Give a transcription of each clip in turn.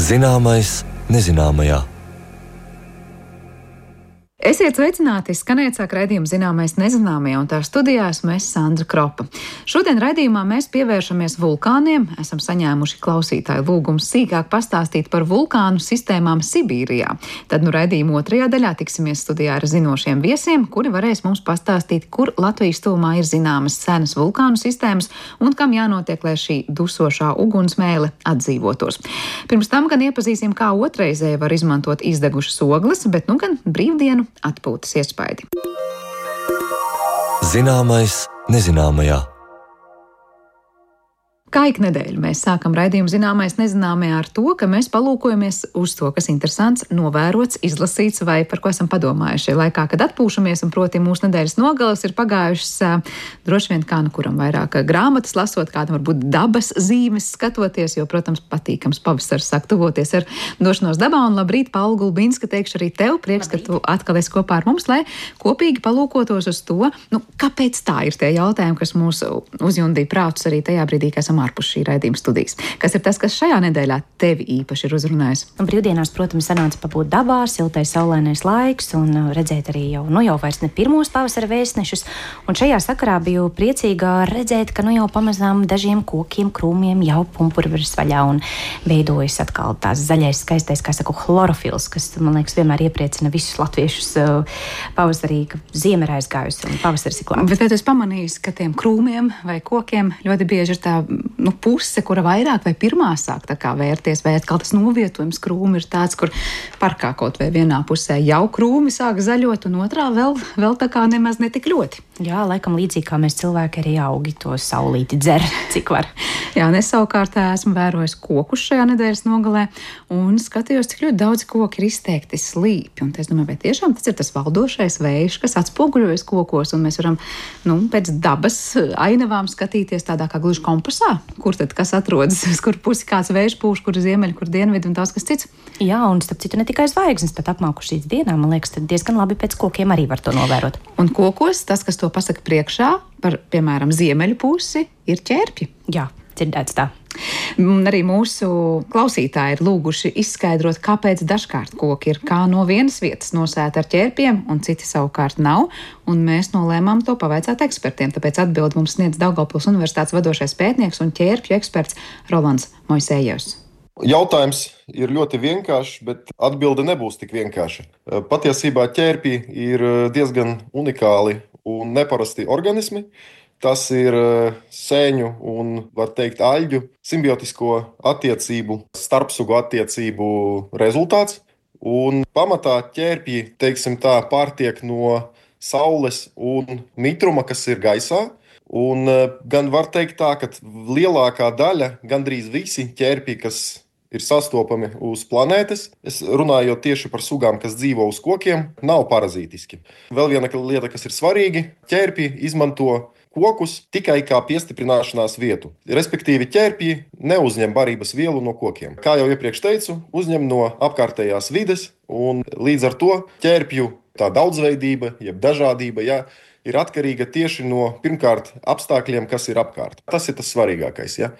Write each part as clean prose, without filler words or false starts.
Zināmais nezināmajā. Esiet sveicināti, skanēt sāk raidījuma Zināmais nezināmajā, un tā studijā esmu es, Sandra Kropa. Šodien raidījumā mēs pievēršamies vulkāniem. Esam saņēmuši klausītāju lūgumu sīkāk pastāstīt par vulkānu sistēmām Sibīrijā. Tad raidījuma otrajā daļā tiksimies studijā ar zinošiem viesiem, kuri varēs mums pastāstīt, kur Latvijas tuvumā ir zināmas senas vulkānu sistēmas un kam jānotiek, lai šī dusošā ugunsmēle atdzīvotos. Pirms tam gan iepazīsim, kā otrreizēji var izmantot izdegušas ogles, bet gan brīvdienu atpūtas iespaidi. Zināmais nezināmajā. Kā ik nedēļu mēs sākam raidījumu Zināmais nezināmajā ar to, ka mēs palūkojamies uz to, kas interesants, novērots, izlasīts vai par ko esam padomājuši laikā, kad atpūšamies, un proti mūsu nedēļas nogales ir pagājušas droši vien kā kuram vairāk grāmatas lasot, kādam varbūt dabas zīmes skatoties, jo, protams, patīkams pavasars sāk tuvoties ar došanos dabā, un labrīt, Paula Gulbinska, teikšu arī tev, prieks, ka tu atkal esi kopā ar mums, lai kopīgi palūkotos uz to, kāpēc tā ir tie jautājumi, kas mūs uzjundīja prātus arī tajā brīdī, kad esam ārpus šī raidījuma studijas. Kas ir tas, kas šajā nedēļā tevi īpaši ir uzrunājis? Brīvdienās, protams, sanāca pabūt dabā, siltais saulainais laiks un redzēt arī jau vairs ne pirmos pavasara vēstnešus. Un šajā sakarā biju priecīga redzēt, ka jau pamazām dažiem kokiem, krūmiem jau pumpuri virs vaļā un veidojas atkal tās zaļais, skaistais, kā saku, chlorofils, kas, man liekas, vienmēr iepriecina visus latviešus pavasarī, ka ziema ir aizgājusi un pavasaris ir klāt. Bet vai tu esi pamanījis, ka tiem krūmiem vai kokiem ļoti bieži ir tā puse, kura vairāk vai pirmā sāk tā kā vērties, vai atkal tas novietojums krūmi ir tāds, kur parkā kaut vai vienā pusē jau krūmi sāk zaļot, un otrā vēl tā kā nemaz netik ļoti. Jā, laikam līdzīgi kā mēs cilvēki arī augi to saulīti dzer, cik var. Jā, un es savukārt esmu vērojis kokus šajā nedēļas nogalē, un skatījos, cik ļoti daudz koki ir izteikti slīpi, un es domāju, vai tiešām tas ir tas valdošais vējš, kas atspoguļojas kokos, un mēs varam, pēc dabas ainavām skatīties tādā kā gluži kompasā, kur tad kas atrodas, uz kur pusi kāds vējš pūš, kur ziemeļi, kur dienvidi un daudz kas cits. Jā, un starp citu ne tikai zvaigznes, bet apmākušīs dienā, man liekas, tad diezgan labi pēc kokiem arī var to novērot. Un kokos tas, kas to pasaka priekšā par, piemēram, ziemeļu pusi, ir ķērpji. Jā, dzirdēts tā. Arī mūsu klausītāji ir lūguši izskaidrot, kāpēc dažkārt koki ir kā no vienas vietas nosēti ar ķērpiem, un citi savukārt nav, un mēs nolēmām to pavaicāt ekspertiem. Tāpēc atbildi mums sniedz Daugavpils Universitātes vadošais pētnieks un ķērpju eksperts Rolands Moisejevs. Jautājums ir ļoti vienkāršs, bet atbilde nebūs tik vienkārša. Patiesībā ķērpji ir diezgan unikāli un neparasti organismi. Tas ir sēņu un, var teikt, aļģu simbiotisko attiecību, starpsugu attiecību rezultāts. Un pamatā ķērpji, teiksim tā, pārtiek no saules un mitruma, kas ir gaisā. Un gan var teikt tā, ka lielākā daļa, gandrīz visi ķērpji, kas ir sastopami uz planētas, es runāju tieši par sugām, kas dzīvo uz kokiem, nav parazītiski. Vēl viena lieta, kas ir svarīga, ķērpji izmanto kokus tikai kā piestiprināšanās vietu. Respektīvi, ķērpji neuzņem barības vielu no kokiem. Kā jau iepriekš teicu, uzņem no apkārtējās vides, un līdz ar to ķērpju tā daudzveidība, jeb dažādība, ir atkarīga tieši no, pirmkārt, apstākļiem, kas ir apkārt. Tas ir tas svarīgākais. Ja?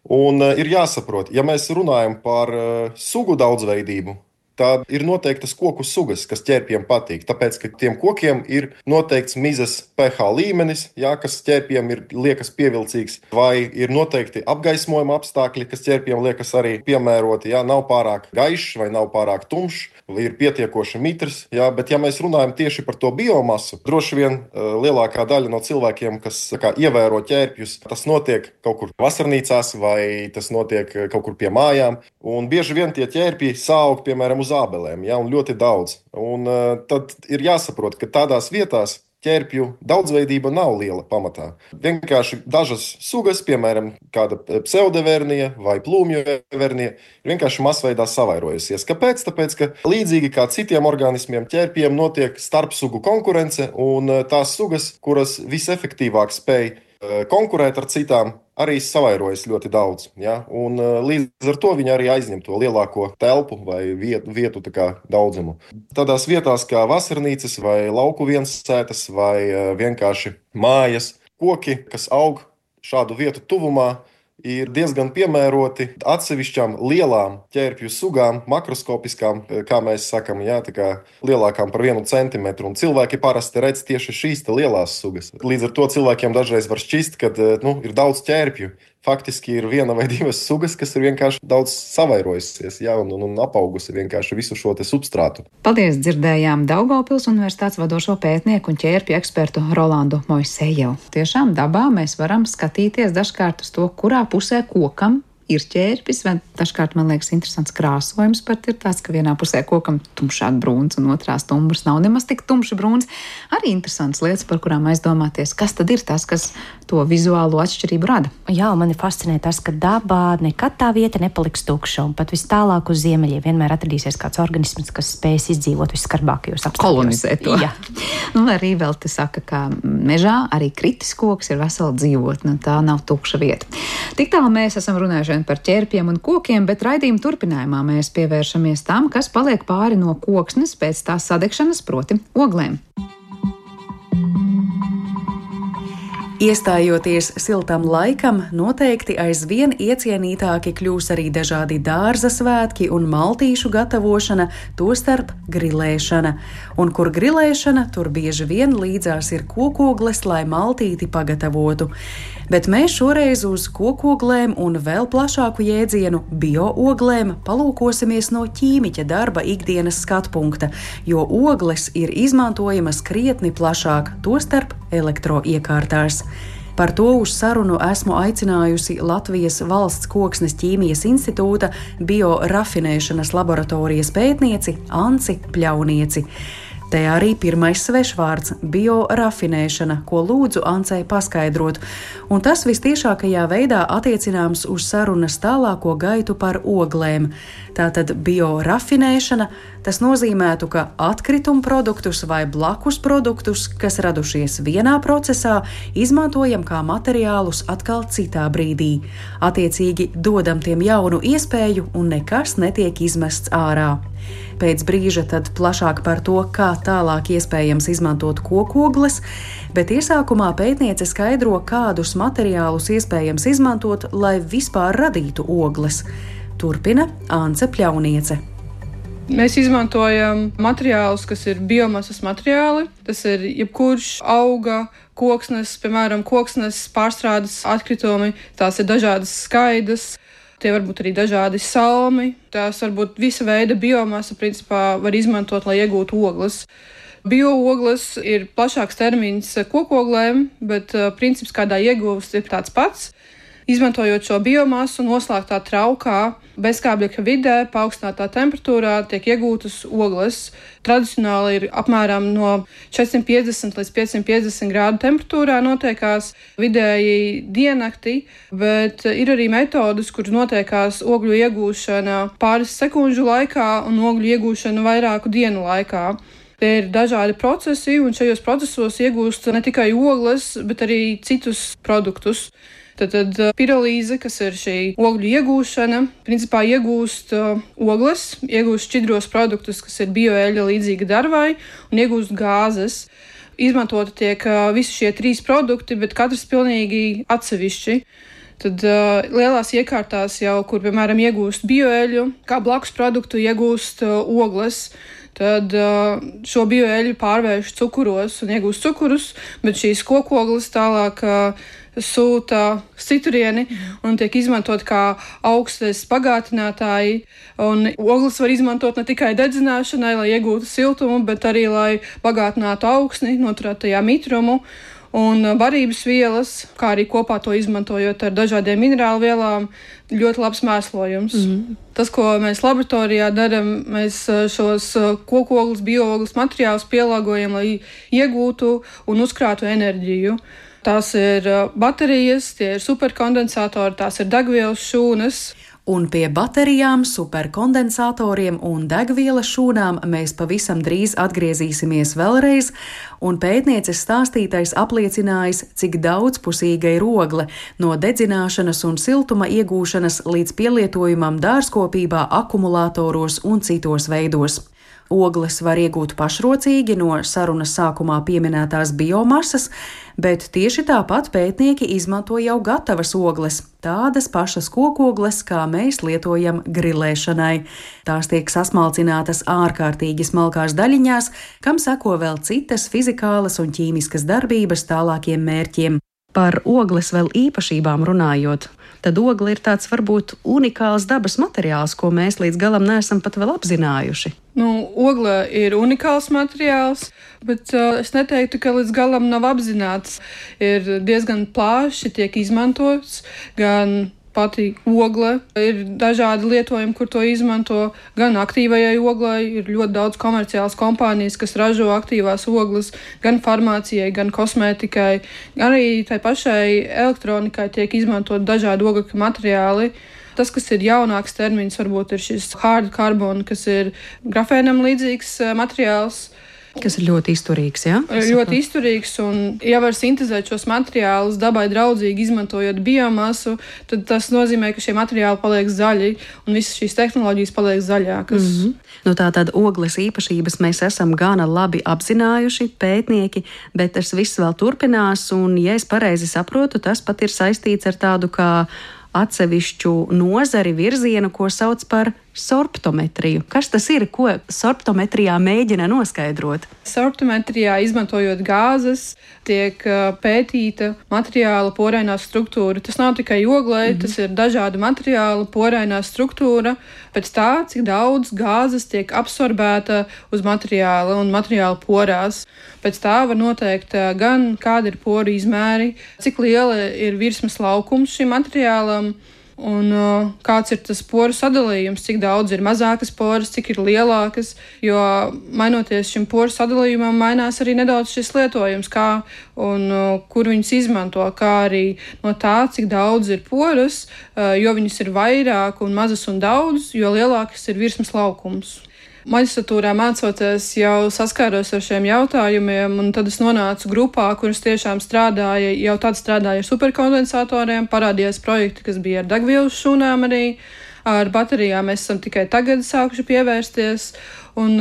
Un ir jāsaprot, ja mēs runājam par sugu daudzveidību, tad ir noteiktas koku sugas, kas ķērpjiem patīk. Tāpēc, ka tiem kokiem ir noteikts mizas pH līmenis, kas ķērpjiem liekas pievilcīgs, vai ir noteikti apgaismojuma apstākļi, kas ķērpjiem liekas arī piemēroti. Nav pārāk gaišs vai nav pārāk tumšs, vai ir pietiekoši mitrs. Bet, ja mēs runājam tieši par to biomasu, droši vien lielākā daļa no cilvēkiem, kas ievēro ķērpjus, tas notiek kaut kur vasarnīcās vai tas notiek kaut kur pie mājām. Un bieži vien tie ķērpji sāug, piemēram, uz ābelēm, un ļoti daudz. Un tad ir jāsaprot, ka tādās vietās ķērpju daudzveidība nav liela pamatā. Vienkārši dažas sugas, piemēram, kāda pseudevernija vai plūmju vernija, ir vienkārši masveidā savairojusies. Kāpēc? Tāpēc, ka līdzīgi kā citiem organismiem, ķērpjiem notiek starpsugu konkurence, un tās sugas, kuras visefektīvāk spēj konkurēt ar citām, arī savairojas ļoti daudz. Ja? Un līdz ar to viņi arī aizņem to lielāko telpu vai vietu daudzumu. Tādās vietās kā vasarnīcas vai lauku viensētas vai vienkārši mājas, koki, kas aug šādu vietu tuvumā, ir diezgan piemēroti atsevišķām lielām ķērpju sugām, makroskopiskām, kā mēs sakam, jā, tā kā lielākām par 1 centimetru. Un cilvēki parasti redz tieši šīs lielās sugas. Līdz ar to cilvēkiem dažreiz var šķist, ka ir daudz ķērpju. Faktiski ir 1 vai 2 sugas, kas ir vienkārši daudz savairojusies, jā, un apaugusi vienkārši visu šo substrātu. Paldies, dzirdējām Daugavpils Universitātes vadošo pētnieku un ķērpju ekspertu Rolandu Moisejevu. Tiešām dabā mēs varam skatīties dažkārt uz to, kurā pusē kokam ir ķērpis, vai dažkārt man liekas interesants krāsojums pat ir tāds, ka vienā pusē kokam tumšāk brūns un otrā stumbrs nav nemaz tik tumši brūns. Arī interesants lietas, par kurām aizdomāties, kas tad ir tas, kas to vizuālo atšķirību rada. Jā, mani fascinē tas, ka dabā nekad tā vieta nepaliks tukša, un pat vis tālāk uz ziemeļiem vienmēr atradīsies kāds organisms, kas spēs izdzīvot visskarbākajos apstākļos. Kolonizēt to. Jā. Arī vēl te saka, ka mežā arī kritis koks ir vesela dzīvotne, tā nav tukša vieta. Tik tālu mēs esam runājuši par ķērpiem un kokiem, bet raidījuma turpinājumā mēs pievēršamies tam, kas paliek pāri no koksnes pēc tās sadegšanas, proti oglēm. Iestājoties siltam laikam, noteikti aizvien iecienītāki kļūs arī dažādi dārza svētki un maltīšu gatavošana, tostarp grilēšana. Un kur grilēšana, tur bieži vien līdzās ir kokogles, lai maltīti pagatavotu. Bet mēs šoreiz uz kokoglēm un vēl plašāku jēdzienu biooglēm palūkosimies no ķīmiķa darba ikdienas skatpunkta, jo ogles ir izmantojamas krietni plašāk, tostarp elektroiekārtās. Par to uz sarunu esmu aicinājusi Latvijas Valsts Koksnes ķīmijas institūta biorafinēšanas laboratorijas pētnieci Anci Pļaunieci. Te arī pirmais svešvārds – biorafinēšana, ko lūdzu Ancei paskaidrot, un tas vistiešākajā veidā attiecināms uz sarunas tālāko gaitu par oglēm. Tātad biorafinēšana, tas nozīmētu, ka atkritumu produktus vai blakus produktus, kas radušies vienā procesā, izmantojam kā materiālus atkal citā brīdī. Attiecīgi dodam tiem jaunu iespēju un nekas netiek izmests ārā. Pēc brīža tad plašāk par to, kā tālāk iespējams izmantot kokogles, bet iesākumā pētniece skaidro, kādus materiālus iespējams izmantot, lai vispār radītu ogles. Turpina Ance Pļauniece. Mēs izmantojam materiālus, kas ir biomasas materiāli. Tas ir jebkurš auga, koksnes, piemēram, koksnes pārstrādes atkritumi. Tās ir dažādas skaidas. Tie var būt arī dažādi salmi. Tās var būt visa veida biomasa, principā var izmantot, lai iegūtu ogles. Bioogles ir plašāks termins kokoglēm, bet princips, kādā iegūst, ir tāds pats. Izmantojot šo biomasu noslēgtā traukā, bezskābekļa vidē, paaugstinātā temperatūrā tiek iegūtas ogles. Tradicionāli ir apmēram no 450 līdz 550 grādu temperatūrā notiekās vidēji diennakti, bet ir arī metodas, kuras notiekās ogļu iegūšana pāris sekundžu laikā un ogļu iegūšana vairāku dienu laikā. Tie ir dažādi procesi, un šajos procesos iegūst ne tikai ogles, bet arī citus produktus. Tad pirolīze, kas ir šī ogļu iegūšana, principā iegūst ogles, iegūst šķidros produktus, kas ir bioeļļa līdzīga darbvai, un iegūst gāzes. Izmantoti tiek visi šie 3 produkti, bet katrs pilnīgi atsevišķi. Tad lielās iekārtās jau, kur, piemēram, iegūst bioeļļu, kā blakus produktu iegūst ogles, tad šo bioeļļu pārvērš cukuros un iegūst cukurus, bet šīs kokogles tālāk sūta citurieni un tiek izmantot kā augstes pagātinātāji. Un ogles var izmantot ne tikai dedzināšanai, lai iegūtu siltumu, bet arī, lai bagātinātu augsni, noturētu tajā mitrumu. Un barības vielas, kā arī kopā to izmantojot ar dažādiem minerālu vielām, ļoti labs mēslojums. Tas, ko mēs laboratorijā darām, mēs šos kokogles, bioogles materiālus pielāgojam, lai iegūtu un uzkrātu enerģiju. Tās ir baterijas, tie ir superkondensatori, tās ir degvielas šūnas. Un pie baterijām, superkondensatoriem un degvielas šūnām mēs pavisam drīz atgriezīsimies vēlreiz, un pētnieces stāstītais apliecinājis, cik daudzpusīga ir ogle no dedzināšanas un siltuma iegūšanas līdz pielietojumam dārzkopībā, akumulātoros un citos veidos. Ogles var iegūt pašrocīgi no sarunas sākumā pieminētās biomasas, bet tieši tāpat pētnieki izmanto jau gatavas ogles, tādas pašas kokogles, kā mēs lietojam grilēšanai. Tās tiek sasmalcinātas ārkārtīgi smalkās daļiņās, kam seko vēl citas fizikālas un ķīmiskas darbības tālākiem mērķiem. Par ogles vēl īpašībām runājot, tad ogle ir tāds varbūt unikāls dabas materiāls, ko mēs līdz galam neesam pat vēl apzinājuši. Ogle ir unikāls materiāls, bet es neteiktu, ka līdz galam nav apzināts. Ir diezgan plaši tiek izmantots gan pati ogle, ir dažādi lietojumi, kur to izmanto, gan aktīvajai oglei, ir ļoti daudz komerciālas kompānijas, kas ražo aktīvās ogles, gan farmācijai, gan kosmētikai, gan arī tai pašai elektronikai tiek izmantot dažādi ogļu materiāli. Tas, kas ir jaunāks termins, varbūt ir šis hard carbon, kas ir grafēnam līdzīgs materiāls. Kas ir ļoti izturīgs, jā? Ļoti izturīgs, un ja var sintezēt šos materiālus dabai draudzīgi, izmantojot biomasu, tad tas nozīmē, ka šie materiāli paliek zaļi, un visas šīs tehnoloģijas paliek zaļākas. Tātad ogles īpašības mēs esam gana labi apzinājuši, pētnieki, bet tas viss vēl turpinās, un, ja es pareizi saprotu, tas pat ir saistīts ar tādu kā atsevišķu nozari virzienu, ko sauc par sorptometriju. Kas tas ir, ko sorptometrijā mēģina noskaidrot? Sorptometrijā, izmantojot gāzes, tiek pētīta materiāla porainā struktūra. Tas nav tikai oglei, tas ir dažādu materiālu porainā struktūra, pēc tā, cik daudz gāzes tiek absorbēta uz materiāla un materiāla porās. Pēc tā var noteikt gan kāda ir poru izmēri, cik liela ir virsmas laukums šim materiālam, un kāds ir tas poru sadalījums, cik daudz ir mazākas poras, cik ir lielākas, jo mainoties šim poru sadalījumam, mainās arī nedaudz šis lietojums, kā un kur viņus izmanto, kā arī no tā, cik daudz ir poras, jo viņas ir vairāk un mazas un daudz, jo lielākas ir virsmas laukums. Maģistratūrā mācoties jau saskāros ar šiem jautājumiem, un tad es nonācu grupā, kuras tiešām strādāja ar superkondensatoriem, parādījās projekti, kas bija ar degvielas šūnām arī, ar baterijām mēs esam tikai tagad sākuši pievērsties, un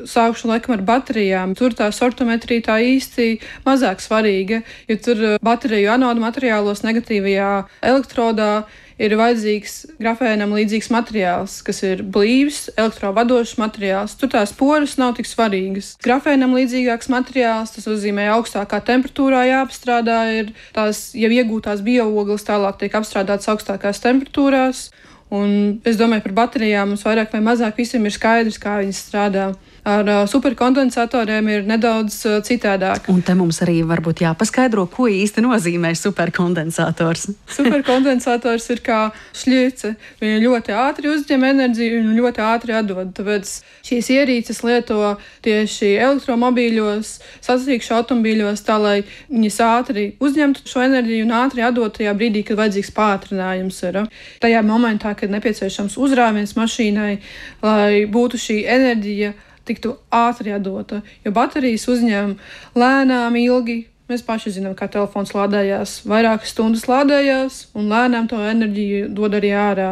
sākuši laikam ar baterijām. Tur tā sorptometrija tā īsti mazāk svarīga, jo tur bateriju anodu materiālos negatīvajā elektrodā ir vajadzīgs grafēnam līdzīgs materiāls, kas ir blīvs, elektrovadošs materiāls. Tur tās poras nav tik svarīgas. Grafēnam līdzīgāks materiāls, tas nozīmē augstākā temperatūrā jāapstrādā, ir tās jau iegūtās bioogles tālāk tiek apstrādātas augstākās temperatūrās. Un es domāju, par baterijām mums vairāk vai mazāk visiem ir skaidrs, kā viņas strādā. Ar superkondensatoriem ir nedaudz citādāk. Un te mums arī varbūt jāpaskaidro, ko īsti nozīmē superkondensators. Superkondensators ir kā šļice. Viņa ļoti ātri uzņem enerģiju un ļoti ātri atdod. Tāpēc šīs ierīces lieto tieši elektromobīļos, sacīkšu automobīļos, tā lai viņas ātri uzņemtu šo enerģiju un ātri atdot tajā brīdī, kad vajadzīgs pātrinājums ir. Tajā momentā, kad nepieciešams uzrāviens mašīnai, lai būtu šī enerģija tiktu ātri atdota, jo baterijas uzņem lēnām ilgi. Mēs paši zinām, kā telefons lādējās, vairākas stundas lādējās un lēnām to enerģiju dod arī ārā.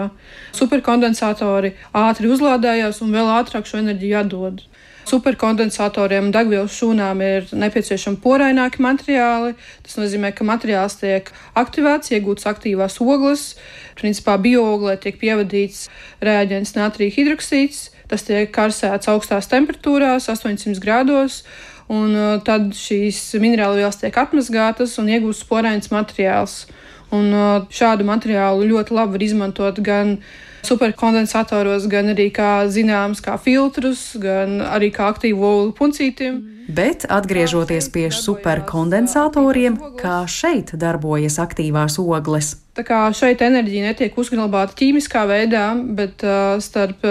Superkondensatori ātri uzlādējās un vēl ātrāk šo enerģiju atdod. Superkondensatoriem un degvielas šūnām ir nepieciešami poraināki materiāli. Tas nozīmē, ka materiāls tiek aktivēts, iegūts aktīvās ogles. Principā biooglē tiek pievadīts reaģents natrija hidroksīds. Tas tiek karsēts augstās temperatūrās, 800 grādos, un tad šīs minerālvielas tiek atmazgātas un iegūsts porains materiāls. Un šādu materiālu ļoti labi var izmantot gan superkondensatoros, gan arī kā zināms, kā filtrus, gan arī kā aktīvu ogļu puncītiem. Bet atgriežoties pie superkondensatoriem, kā šeit darbojas aktīvās ogles? Tā kā šeit enerģija netiek uzglabāta ķīmiskā veidā, bet starp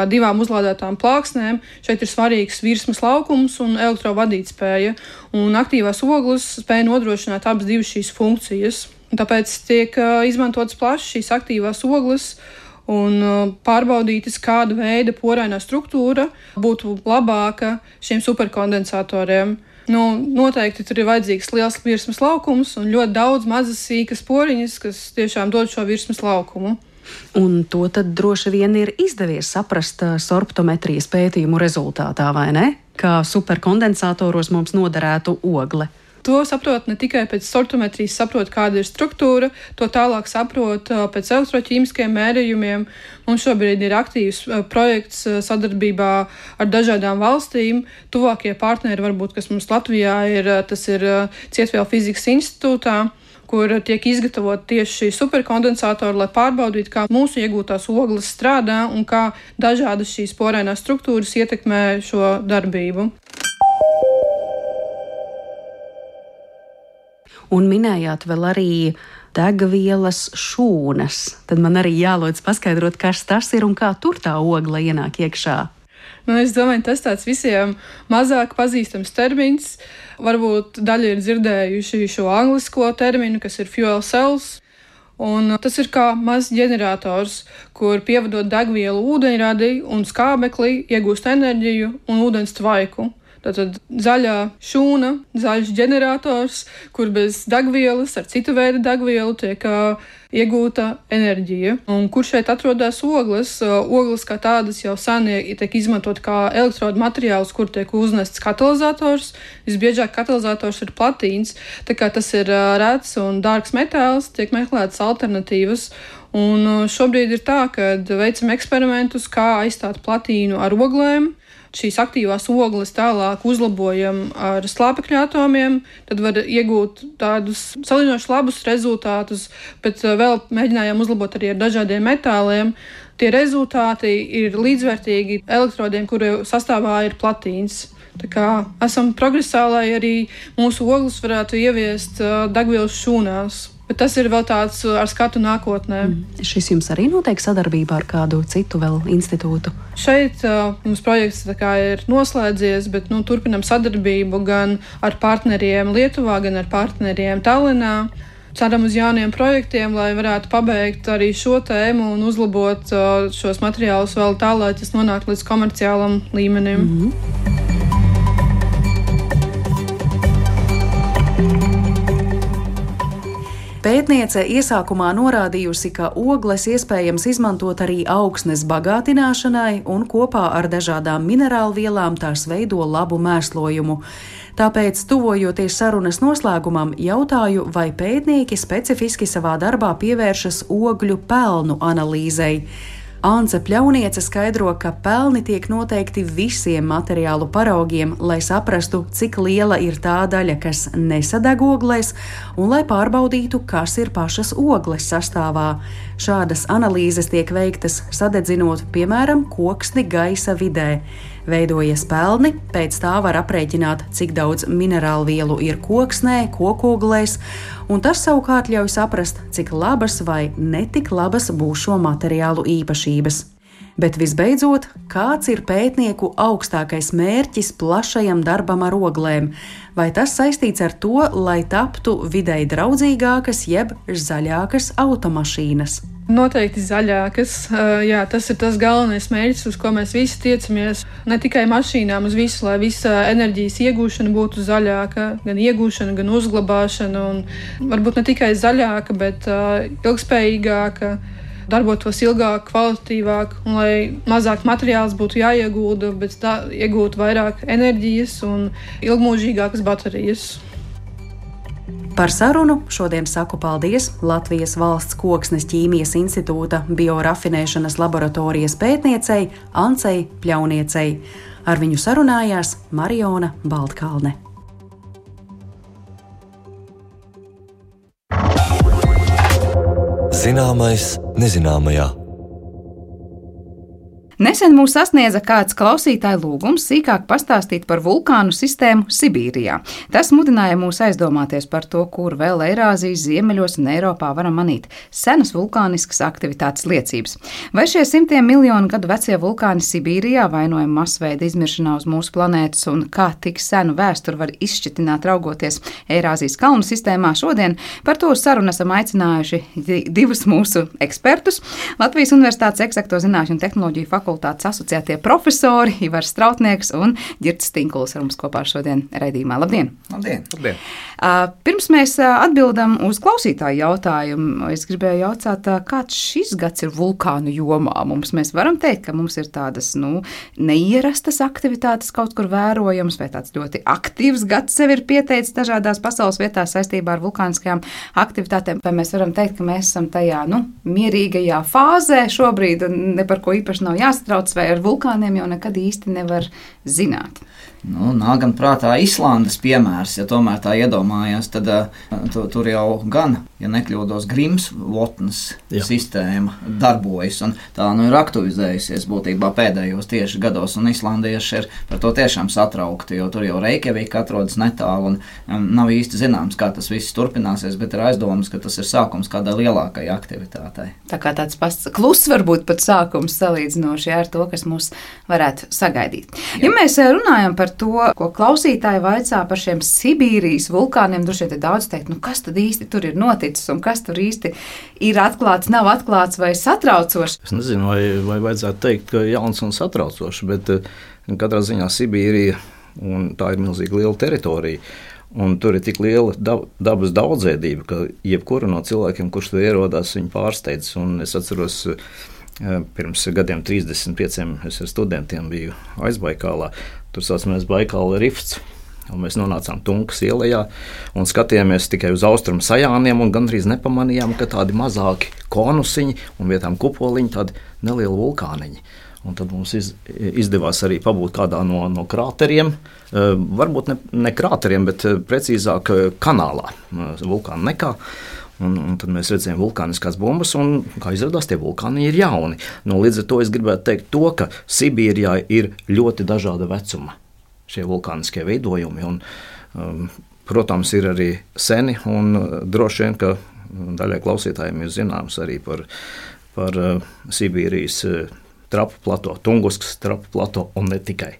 divām uzlādētām plāksnēm šeit ir svarīgs virsmas laukums un elektrovadītspēja. Un aktīvās ogles spēja nodrošināt abas divas šīs funkcijas. Un tāpēc tiek izmantotas plaši šīs aktīvās ogles un pārbaudītas, kāda veida porainā struktūra būtu labāka šiem superkondensatoriem. Noteikti tur ir vajadzīgs liels virsmas laukums un ļoti daudz mazas sīkas poriņas, kas tiešām dod šo virsmas laukumu. Un to tad droši vien ir izdevies saprast sorptometrijas pētījumu rezultātā, vai ne? Kā superkondensatoros mums noderētu ogle. To saprot ne tikai pēc sorptometrijas, saprot, kāda ir struktūra, to tālāk saprot pēc elektroķīmiskiem mērījumiem. Mums šobrīd ir aktīvs projekts sadarbībā ar dažādām valstīm. Tuvākie partneri, varbūt, kas mums Latvijā ir, tas ir Cietvielu fizikas institūtā, kur tiek izgatavot tieši šī superkondensatori, lai pārbaudītu, kā mūsu iegūtās ogles strādā un kā dažādas šīs porēnās struktūras ietekmē šo darbību. Un minējāt vēl arī degvielas šūnas. Tad man arī jālūdz paskaidrot, kas tas ir un kā tur tā ogla ienāk iekšā. Es domāju, tas tāds visiem mazāk pazīstams termins. Varbūt daļa ir dzirdējuši šo anglisko terminu, kas ir fuel cells. Un tas ir kā mazs ģenerators, kur pievadot degvielu ūdeņradi un skābekli, iegūst enerģiju un ūdens tvaiku. Tātad zaļā šūna, zaļš ģenerators, kur bez degvielas, ar citu veidu degvielu tiek iegūta enerģija. Un kur šeit atrodas ogles? Ogles kā tādas jau sen tiek izmantot kā elektrodu materiāls, kur tiek uznests katalizators. Visbiežāk katalizators ir platīns, tā kā tas ir rēts un dārgs metāls, tiek meklētas alternatīvas. Un šobrīd ir tā, ka veicam eksperimentus, kā aizstāt platīnu ar oglēm. Šīs aktīvās ogles tālāk uzlabojam ar slāpekļa atomiem, tad var iegūt tādus salīdzinoši labus rezultātus, bet vēl mēģinājām uzlabot arī ar dažādiem metāliem. Tie rezultāti ir līdzvērtīgi elektrodiem, kuru sastāvā ir platīns. Tā kā esam progresā, lai arī mūsu ogles varētu ieviest degvielas šūnās. Bet tas ir vēl tāds ar skatu nākotnē. Šis jums arī notiek sadarbībā ar kādu citu vēl institūtu? Šeit mums projekts ir noslēdzies, bet turpinam sadarbību gan ar partneriem Lietuvā, gan ar partneriem Tallinā. Ceram uz jauniem projektiem, lai varētu pabeigt arī šo tēmu un uzlabot šos materiālus vēl tā, lai tas nonāk līdz komerciālam līmenim. Pētniece iesākumā norādījusi, ka ogles iespējams izmantot arī augsnes bagātināšanai un kopā ar dažādām minerālvielām tās veido labu mēslojumu. Tāpēc, tuvojoties sarunas noslēgumam, jautāju, vai pētnieki specifiski savā darbā pievēršas ogļu pelnu analīzei. Ance Pļauniece skaidro, ka pelni tiek noteikti visiem materiālu paraugiem, lai saprastu, cik liela ir tā daļa, kas nesadeg oglēs, un lai pārbaudītu, kas ir pašas ogles sastāvā. Šādas analīzes tiek veiktas sadedzinot, piemēram, koksni gaisa vidē. Veidojas pelni, pēc tā var aprēķināt, cik daudz minerālvielu ir koksnē, kokoglēs, un tas savukārt ļauj saprast, cik labas vai netik labas būs šo materiālu īpašības. Bet visbeidzot, kāds ir pētnieku augstākais mērķis plašajam darbam ar oglēm? Vai tas saistīts ar to, lai taptu videi draudzīgākas jeb zaļākas automašīnas? Noteikti zaļākas. Jā, tas ir tas galvenais mērķis, uz ko mēs visi tiecamies. Ne tikai mašīnām, uz visu, lai visa enerģijas iegūšana būtu zaļāka, gan iegūšana, gan uzglabāšana. Un varbūt ne tikai zaļāka, bet ilgspējīgāka, darbotos ilgāk, kvalitatīvāk, un lai mazāk materiāls būtu jāiegūda, bet iegūt vairāk enerģijas un ilgmūžīgākas baterijas. Par sarunu šodien saku paldies Latvijas Valsts Koksnes ķīmijas institūta biorafinēšanas laboratorijas pētniecei Ancei Pļauniecei. Ar viņu sarunājās Mariona Baltkalne. Zināmais nezināmajā. Nesen mūs sasniedza kāds klausītāju lūgums sīkāk pastāstīt par vulkānu sistēmu Sibīrijā. Tas mudināja mūs aizdomāties par to, kur vēl Eirāzijas ziemeļos un Eiropā varam manīt senas vulkāniskas aktivitātes liecības. Vai šie simtiem miljonu gadu vecie vulkāni Sibīrijā vainojami masveida izmiršanā uz mūsu planētas un kā tik senu vēsturi var izšķitināt raugoties Eirāzijas kalnu sistēmā šodien? Par to sarunu esam aicinājuši divus mūsu ekspertus. Latvijas Universitātes Eksakto zinātņu un tehnoloģiju fakultātes fakultātes asociētie profesori Ivars Strautnieks un Ģirds Tinkuls ar mums kopā šodien raidījumā. Labdien! Labdien! Labdien. Pirms mēs atbildam uz klausītāju jautājumu, es gribēju jautāt, kāds šis gads ir vulkānu jomā. Mēs varam teikt, ka mums ir tādas neierastas aktivitātes kaut kur vērojamas, vai tāds ļoti aktīvs gads sev ir pieteicis dažādās pasaules vietās saistībā ar vulkāniskajām aktivitātēm, vai mēs varam teikt, ka mēs esam tajā mierīgajā fāzē šobrīd un ne par ko īpaši nav jāsatrauc, vai ar vulkāniem jau nekad īsti nevar zināt. Nāk gan prātā Islandes piemērs, ja tomēr tā iedomājās, tad tur jau gan, ja nekļūdos, Grimsvotnes sistēma darbojas, un tā ir aktivizējusies būtībā pēdējos tieši gados, un islandieši ir par to tiešām satraukti, jo tur jau Reikjavika atrodas netālu, un nav īsti zināms, kā tas viss turpināsies, bet ir aizdomas, ka tas ir sākums kādai lielākai aktivitātei. Tā kā tāds kluss varbūt pat sākums salīdzinoši ar to, kas mūs varētu sagaidīt. Ja mēs runājam par to, ko klausītāji vaicā par šiem Sibīrijas vulkāniem, droši vien daudz teikt, kas tad īsti tur ir noticis un kas tur īsti ir atklāts, nav atklāts vai satraucošs. Es nezinu, vai vajadzētu teikt, ka jauns un satraucošs, bet katrā ziņā Sibīrija, un tā ir milzīgi liela teritorija, un tur ir tik liela dabas daudzveidība, ka jebkura no cilvēkiem, kurš tur ierodās, viņu pārsteidz. Un es atceros, pirms gadiem 35 es ar studentiem biju Aizbaikālā. Tur saucamies Baikāla rifts. Un mēs nonācām Tunkas ielā un skatījāmies tikai uz austrumu sajāniem un gandrīz nepamanījām, ka tādi mazāki konusiņi un vietām kupoliņi, tādi nelieli vulkāniņi. Un tad mums izdevās arī pabūt kādā no krāteriem, varbūt ne krāteriem, bet precīzāk kanālā, vulkāna nekā. Un tad mēs redzējām vulkāniskās bumbas, un, kā izrādās, tie vulkāni ir jauni. Līdz ar to es gribētu teikt to, ka Sibīrijā ir ļoti dažāda vecuma šie vulkāniskie veidojumi. Un, protams, ir arī seni, un droši vien, ka daļai klausītājiem ir zināms arī par Sibīrijas trapu plato, Tunguskas trapu plato un ne tikai.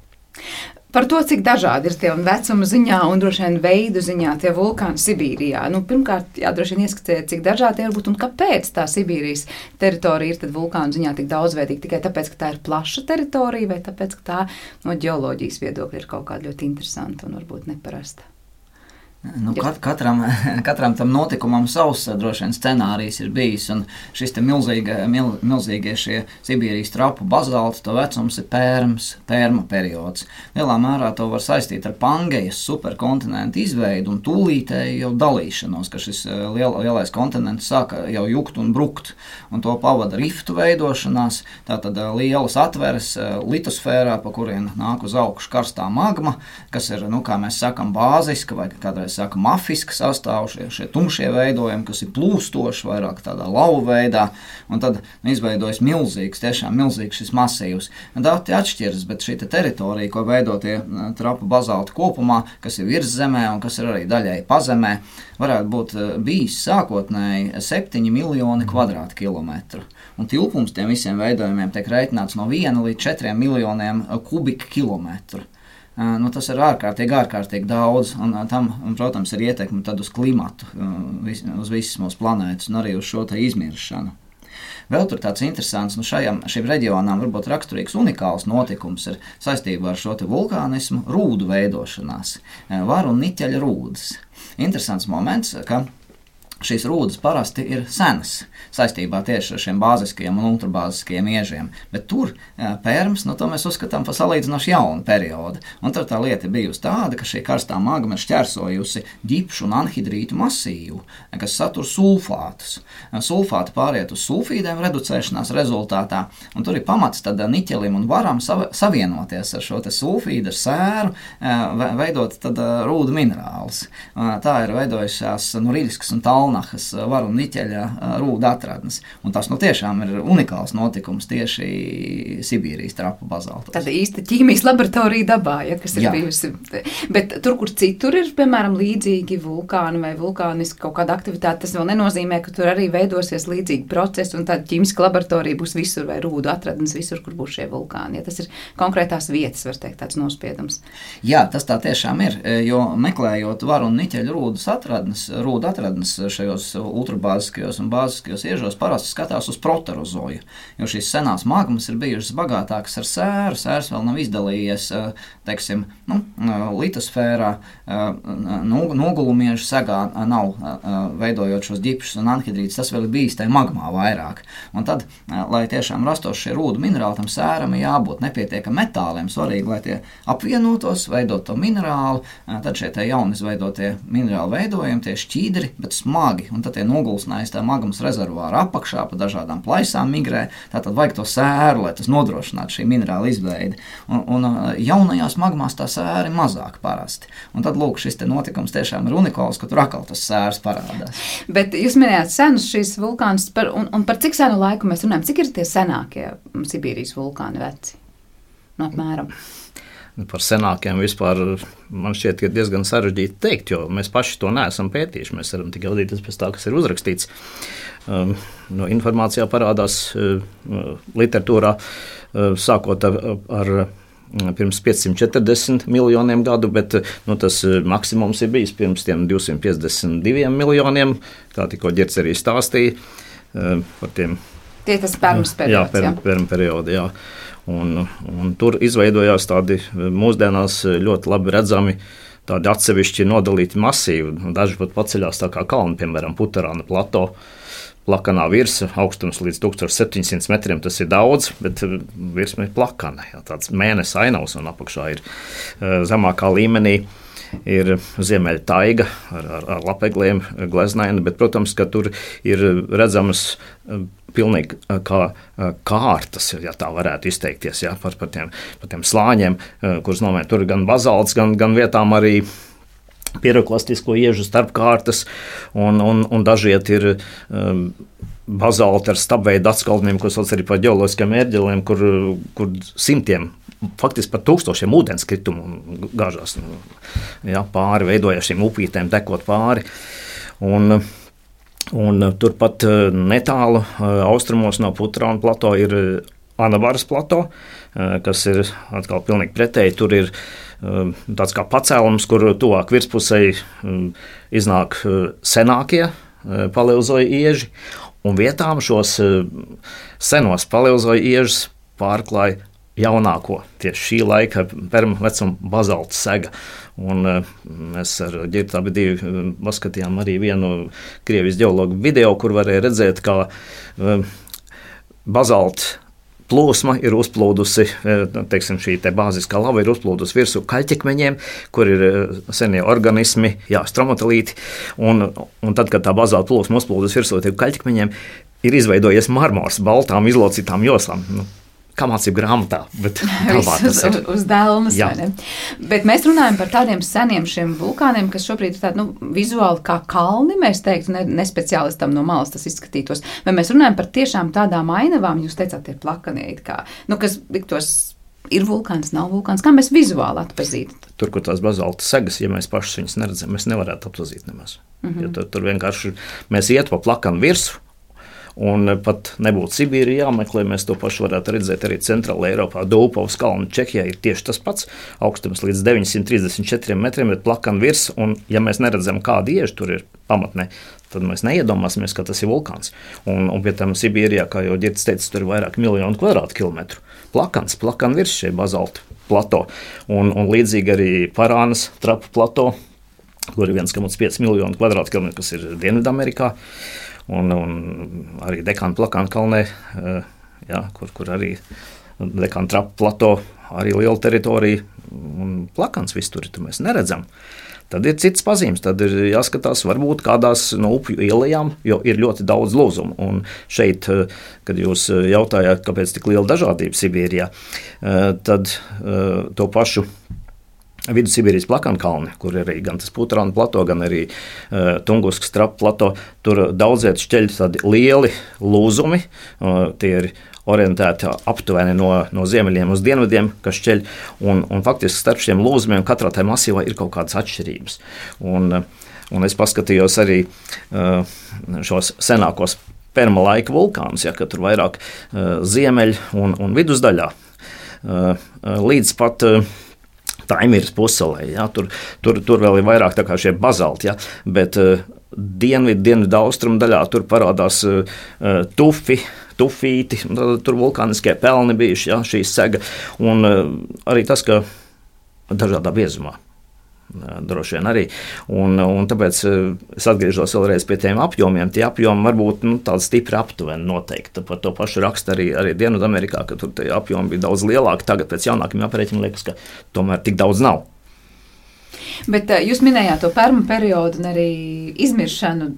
Par to, cik dažādi ir tie vecuma ziņā un droši vien veidu ziņā tie vulkāni Sibīrijā. Pirmkārt, droši vien ieskatīt, cik dažādi ir būt un kāpēc tā Sibīrijas teritorija ir tad vulkānu ziņā tik daudzveidīga. Tikai tāpēc, ka tā ir plaša teritorija vai tāpēc, ka tā no ģeoloģijas viedokļa ir kaut kāda ļoti interesanta un varbūt neparasta. Katram tam notikumam savs droši vien scenārijs ir bijis, un šis te milzīgie šie Sibīrijas trapu bazalti, to vecums ir pērma periods. Lielā mērā to var saistīt ar Pangejas superkontinentu izveidu un tūlītēju jau dalīšanos, ka šis lielais kontinents sāka jau jukt un brukt, un to pavada riftu veidošanās, tātad lielas atveres litosfērā, pa kurien nāk uz augšu karstā magma, kas ir, kā mēs sakam, bāziska vai kādreiz saka mafiska sastāv, šie tumšie veidojumi, kas ir plūstoši, vairāk tādā lauva veidā, un tad izveidojas tiešām milzīgs šis masīvs. Dati atšķiras, bet šī teritorija, ko veido tie trapu bazalti kopumā, kas ir virs zemē un kas ir arī daļai pazemē, varētu būt bijis sākotnēji 7 miljoni kvadrātkilometru. Un tilpums tiem visiem veidojumiem tiek reiķināts no 1 līdz 4 miljoniem kubikkilometru. Tas ir ārkārtīgi daudz, un tam, protams, ir ietekme tad uz klimatu, uz visas mūsu planētas un arī uz šo te izmiršanu. Vēl tur tāds interesants, šim reģionām varbūt raksturīgs unikāls notikums ir saistībā ar šo te vulkānismu rūdu veidošanās, varu un niķeļa rūdas. Interesants moments, ka šīs rūdas parasti ir senas saistībā tieši ar šiem bāziskajiem un ultrabāziskajiem iežiem, bet tur pērms, to mēs uzskatām par salīdzinoši jaunu periodu. Un tur tā lieta bijusi tāda, ka šī karstā magma ir šķērsojusi ģipšu un anhidrītu masīvu, kas satur sulfātus. Sulfāti pāriet uz sulfīdiem reducēšanās rezultātā, un tur ir pamats tad niķelim un varam savienoties ar šo te sulfīdu, ar sēru, veidot tad rūdu minerālus. Tā ir veidojušās Norilskas un Talnahas varu un niķeļa rūda atradnes. Un tas tiešām ir unikāls notikums tieši Sibīrijas trapu bazaltos. Tāda īsta ķīmijas laboratorija dabā, kas ir bijusi. Bet tur, kur citur ir, piemēram, līdzīgi vulkāni vai vulkāniski kaut kāda aktivitāte, tas vēl nenozīmē, ka tur arī veidosies līdzīgi procesi un tāda ķīmiska laboratorija būs visur vai rūdu atradnes visur, kur būs šie vulkāni. Ja tas ir konkrētās vietas, var teikt, tāds nospiedums. Jā, tas tā tiešām ir, jo meklējot varu un niķeļu rūdu atradnes šajos ultrabāziskajos un bāziskajos iežos parasti skatās uz proterozoju, jo šīs senās magmas ir bijušas bagātākas ar sēru. Sērs vēl nav izdalījies, teiksim, litosfērā, nogulumiežu segā nav veidojot šos ģipšus un anhidrītus, tas vēl ir bijis tajā magmā vairāk. Un tad, lai tiešām rastos šie rūdu minerāli, tam sēram ir jābūt nepietiekam metāliem, svarīgi, lai tie apvienotos, veidot to minerālu, tad šie tie jauni izveidotie minerāli veidojumi, tie šķīdri, bet smagi, un tad tie nogulsnājas tā magmas rezervāra apakšā, pa dažādām plaisām migrē, tātad vajag to sēru, lai tas nodrošinātu šī minerāla izveidi. Un jaunajās magmās tā sēra ir mazāk parasti. Un tad, lūk, šis te notikums tiešām ir unikāls, ka tur atkal tas sērs parādās. Bet jūs minējāt senus šīs vulkānus, un par cik senu laiku mēs runājam? Cik ir tie senākie Sibīrijas vulkāni veci? No apmēram. Par senākiem vispār man šķiet, ka diezgan sarežģīti teikt, jo mēs paši to neesam pētījuši. Mēs varam tikai vadīties pēc tā, kas ir uzrakstīts. No informācijā parādās literatūrā, sākot ar pirms 540 miljoniem gadu, bet tas maksimums ir bijis pirms tiem 252 miljoniem, kā tikko Ģirds arī stāstīja par tiem. Tie tas permas periods, jā? Perma periodi, jā. Un tur izveidojās tādi mūsdienās ļoti labi redzami tādi atsevišķi nodalīti masīvi. Daži pat paceļās tā kā kalni, piemēram, Putarāna plato, plakanā virsa, augstums līdz 1700 metriem, tas ir daudz, bet virsma ir plakana, jā, tāds mēnesis ainavs un apakšā ir zemākā līmenī. Ir ziemeļa taiga ar lapegliem, gleznaina, bet, protams, ka tur ir redzamas pilnīgi kā kārtas, ja tā varētu izteikties, ja, par tiem slāņiem, kurus nomēr tur gan bazalts, gan vietām arī piroklastisko iežu starpkārtas, un dažiet ir bazalti ar stabveidu atskaldniem, ko sauc arī par ģeoloģiskiem ērģeliem, kur simtiem, faktiski par tūkstošiem ūdenskritumu gāžās, ja, pāri, veidojās šīm upītēm, tekot pāri. Un turpat netālu austrumos no Putarāna plato ir Anavaras plato, kas ir atkal pilnīgi pretēji. Tur ir tāds kā pacēlums, kur tuvāk virspusei iznāk senākie paleozoja ieži, un vietām šos senos paleozoja iežus pārklāja jaunāko, tieši šī laika perma vecuma bazalta sega. Un mēs ar Ģirtu abi divi paskatījām arī vienu Krievijas ģeologu video, kur varēja redzēt, kā bazalta plūsma ir uzplūdusi, teiksim, šī te bāziskā lava ir uzplūdusi virsū kaļķekmeņiem, kur ir senie organismi, stromatolīti, un tad, kad tā bazalta plūsma uzplūdusi virsū tiem kaļķekmeņiem, ir izveidojies marmors baltām izlocītām joslām. Kā mācību grāmatā, bet uz dēlnes, vai ne? Bet mēs runājam par tādiem seniem šiem vulkāniem, kas šobrīd ir tādi, vizuāli kā kalni, mēs teiktu, ne speciālistam no malas tas izskatītos. Vai mēs runājam par tiešām tādām ainavām, jūs teicāt, tie plakanie, kas liktos ir vulkāns, nav vulkāns, kā mēs vizuāli atpazītu? Tur, kur tās bazalta segas, ja mēs pašus viņus neredzam, mēs nevarētu atpazīt nemaz. Jo tur vienkārši mēs iet pa plakanu virsu, un pat nebūtu Sibīrija jāmeklē, mēs to pašu varētu redzēt arī Centrāla Eiropā. Dūpavas kalnu Čehijā ir tieši tas pats, augstums līdz 934 metriem, bet plakana virs, un ja mēs neredzam, kāda ieža tur ir pamatnē, tad mēs neiedomāsimies, ka tas ir vulkāns. Un pie tam Sibīrijā, kā jau Ģirds teica, tur ir vairāk miljonu kvadrātkilometru. Plakana virs šie bazalta plato, un līdzīgi arī Parānas trapu plato, kur ir 1,5 miljonu kvadrātkilometru, kas ir Dienvidamerikā. Un arī Dekāna plakāna kalnē, kur arī Dekāna trapu plato, arī liela teritorija, un plakāns viss tur mēs neredzam. Tad ir cits pazīmes, tad ir jāskatās varbūt kādās no upju ielajām, jo ir ļoti daudz lūzumu. Un šeit, kad jūs jautājāt, kāpēc tik liela dažādība Sibīrijā, tad to pašu Vidu-Sibīrijas plakānkalni, kur ir arī gan tas Putarāna plato, gan arī Tunguskas trapu plato, tur daudziet šķeļ tādi lieli lūzumi, tie ir orientēti aptuveni no ziemeļiem uz dienvidiem, kas šķeļ, un faktiski starp šiem lūzumiem katrā tajā masīvā ir kaut kādas atšķirības. Un es paskatījos arī šos senākos perma laika vulkānus, ka tur vairāk ziemeļ un vidusdaļā, līdz pat Taimiras pussalē, tur vēl ir vairāk tā kā šie bazalti, bet dienvidu austrumu daļā tur parādās tufīti, tur vulkāniskie pelni bijuši, ja, šī sega, un arī tas, ka dažādā biezumā. Droši vien arī. Un tāpēc es atgriežos vēlreiz pie tiem apjomiem. Tie apjomi varbūt tādi stipri aptuveni noteikti. Par to pašu raksta arī Dienvidamerikā, ka tur tie apjomi bija daudz lielāki. Tagad pēc jaunākiem aprēķiniem liekas, ka tomēr tik daudz nav. Bet jūs minējāt to permu periodu un arī izmiršanu.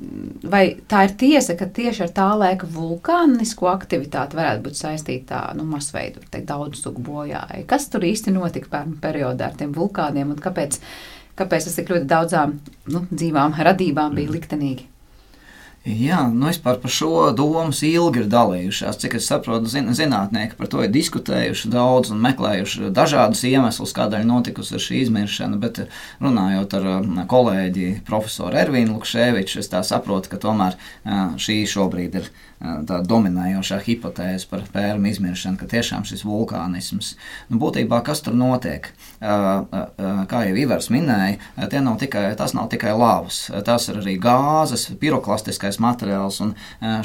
Vai tā ir tiesa, ka tieši ar tā laika vulkānisko aktivitāti varētu būt saistīta masveidu, daudz sugu bojāja? Kas tur īsti notika permu periodā ar tiem vulkāniem un kāpēc tas tik ļoti daudzām dzīvām radībām bija liktenīgi? Jā, vispār par šo domas ilgi ir dalījušās. Cik es saprotu, zinātnieki par to ir diskutējuši daudz un meklējuši dažādus iemeslus, kādēļ notikusi šī izmiršana, bet runājot ar kolēģi profesoru Ervīnu Lukševiču, es tā saprotu, ka tomēr šī šobrīd ir tā dominējošā hipotēze par pērmu izmiršanu, ka tiešām šis vulkānisms. Būtībā, kas tur notiek? Kā jau Ivars minēja, tas nav tikai lavas, tas ir arī gāzes, piroklastiskais materiāls un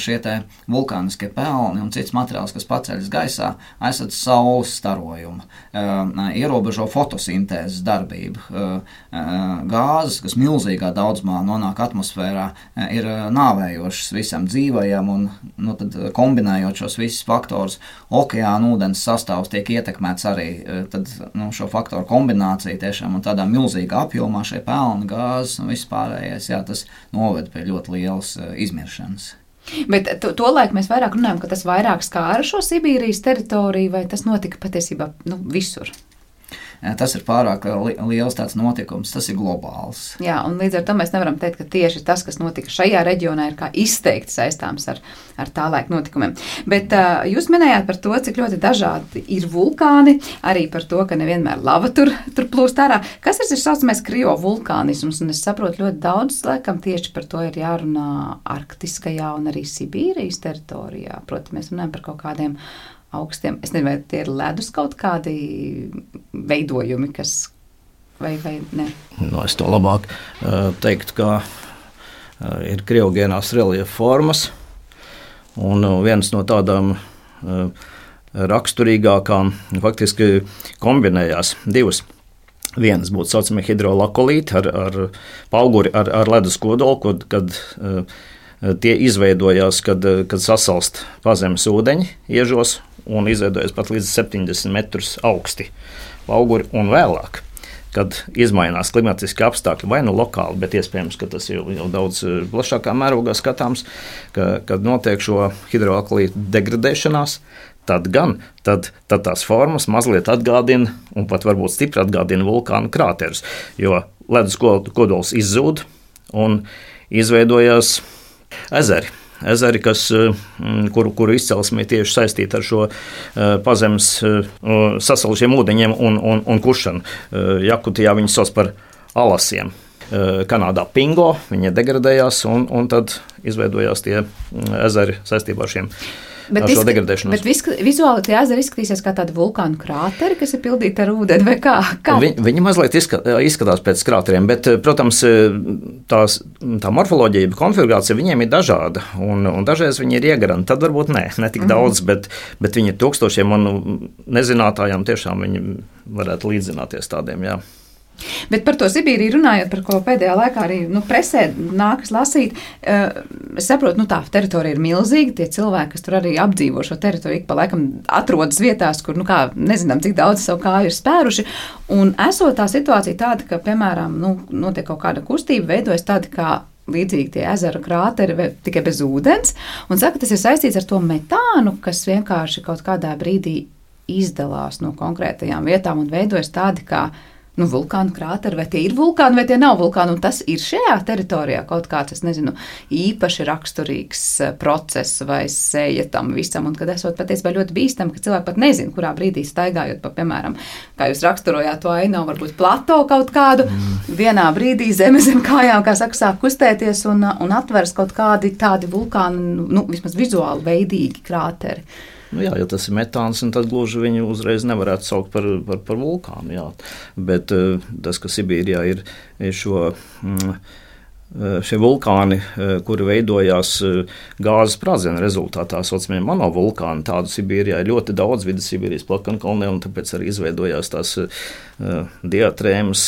šie te vulkāniskie pelni un cits materiāls, kas paceļas gaisā, aizsadz saules starojumu, ierobežo fotosintēzes darbību. Gāzes, kas milzīgā daudzumā nonāk atmosfērā, ir nāvējošas visam dzīvajam un tad kombinējot šos visus faktorus, okeāna ūdens sastāvs tiek ietekmēts arī tad, šo faktoru kombināciju tiešām un tādā milzīgā apjomā šie pelni, gāzes un viss pārējais, jā, tas noved pie ļoti lielas izmiršanas. Bet tolaik mēs vairāk runājam, ka tas vairāk skāra šo Sibīrijas teritoriju, vai tas notika patiesībā visur? Tas ir pārāk liels tāds notikums, tas ir globāls. Jā, un līdz ar to mēs nevaram teikt, ka tieši tas, kas notika šajā reģionā, ir kā izteikti saistāms ar tā laika notikumiem. Bet jūs minējāt par to, cik ļoti dažādi ir vulkāni, arī par to, ka nevienmēr lava tur plūst ārā. Kas ir saucamais kriovulkānisms? Un es saprotu, ļoti daudz, laikam, tieši par to ir jārunā arktiskajā un arī Sibīrijas teritorijā. Proti, mēs runājam par kaut kādiem augstiem, es nezinu, vai tie ir ledus kaut kādi veidojumi, kas vai ne? Es to labāk teiktu, ka ir kriogēnās reliefa formas, un viens no tādām raksturīgākām faktiski kombinējās divas. Vienas būtu saucamie hidrolakolīti ar pauguri, ar ledus kodolu, kad tie izveidojās, kad sasalst pazemes ūdeņi iežos un izveidojas pat līdz 70 metrus augsti pauguri, un vēlāk, kad izmainās klimatiski apstākļi, vai lokāli, bet iespējams, ka tas jau daudz plašākā mērogā skatāms, kad notiek šo hidroaklītu degradēšanās, tad tās formas mazliet atgādina, un pat varbūt stipri atgādina vulkānu krāterus, jo ledus kodols izzūd un izveidojās ezeri, kuru izcelsme tieši saistīta ar šo pazemes sasalušiem ūdeņiem un kušanu. Jakutijā viņi sauc par alasiem. Kanādā pingo, viņi degradējās un tad izveidojās tie ezeri saistībā ar šiem. Bet vizuāli tie ezeri izskatīsies kā tādi vulkānu krāteri, kas ir pildīti ar ūdeni, vai kā? Viņi mazliet izskatās pēc krāteriem, bet, protams, tā morfoloģija, konfigurācija viņiem ir dažāda, un dažreiz viņi ir iegaranti, tad varbūt ne tik daudz, bet viņi ir tūkstošiem, un nezinātājiem tiešām viņi varētu līdzināties tādiem, jā. Bet par to Sibīriju runājot, par ko pēdējā laikā arī presē nākas lasīt, es saprotu, tā teritorija ir milzīga, tie cilvēki, kas tur arī apdzīvo šo teritoriju, ik pa laikam atrodas vietās, kur, nezinām, cik daudz savu kāju ir spēruši, un esot tā situācija tāda, ka, piemēram, notiek kaut kāda kustība, veidojas tādi kā līdzīgi tie ezera krāteri, tikai bez ūdens, un saka, tas ir saistīts ar to metānu, kas vienkārši kaut kādā brīdī izdalās no konkrētajām vietām un veidojas tādi kā vulkānu krāteri, vai tie ir vulkāni, vai tie nav vulkāni, un tas ir šajā teritorijā kaut kāds, es nezinu, īpaši raksturīgs process vai sēja tam visam, un kad esot patiesībā ļoti bīstami, ka cilvēki pat nezin, kurā brīdī staigājot pa, piemēram, kā jūs raksturojāt to ainavu, varbūt plato kaut kādu, vienā brīdī zem kājām, kā saka, sāk kustēties un atveras kaut kādi tādi vulkāni, vismaz vizuāli veidīgi krāteri. Jā, ja tas ir metāns, tad gluži viņu uzreiz nevarētu saukt par vulkānu. Jā. Bet tas, ka Sibīrijā ir šo šie vulkāni, kuri veidojās gāzes sprādziena rezultātā, saucamie monovulkāni, tādu Sibīrijā ir ļoti daudz vidu Sibīrijas plakankalnē, un tāpēc arī izveidojās tās diatrēmas,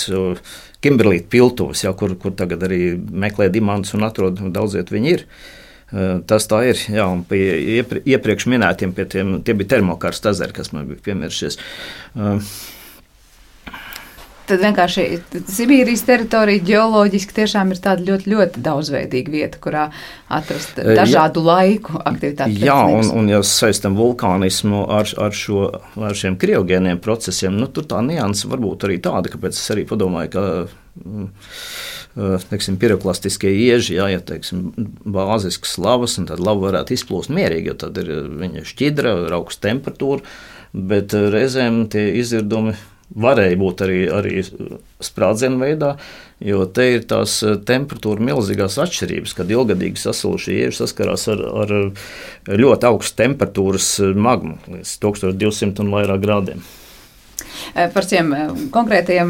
kimberlīta piltuves, kur tagad arī meklē diamantus un atrod, daudziet viņi ir. Tas tā ir, jā, un pie iepriekš minētiem, tie bija termokarsta ezeri, kas man bija piemiršies. Tad vienkārši Sibīrijas teritorija ģeoloģiski tiešām ir tāda ļoti, ļoti daudzveidīga vieta, kurā atrast dažādu laiku aktivitāti. Jā, un ja saistam vulkānismu ar šiem kriogēniem procesiem, tur tā nianse varbūt arī tāda, kāpēc es arī padomāju, ka piroklastiskie ieži, ja bāziskas lavas, un tad lava varētu izplūst mierīgi, jo tad ir viņa šķidra, ar augstu temperatūru, bet reizēm tie izirdumi varēja būt arī sprādzienu veidā, jo te ir tās temperatūra milzīgās atšķirības, kad ilgadīgi sasalušie ieži saskarās ar ļoti augstu temperatūras magmu, līdz 1200 un vairāk grādiem. Par šiem konkrētajiem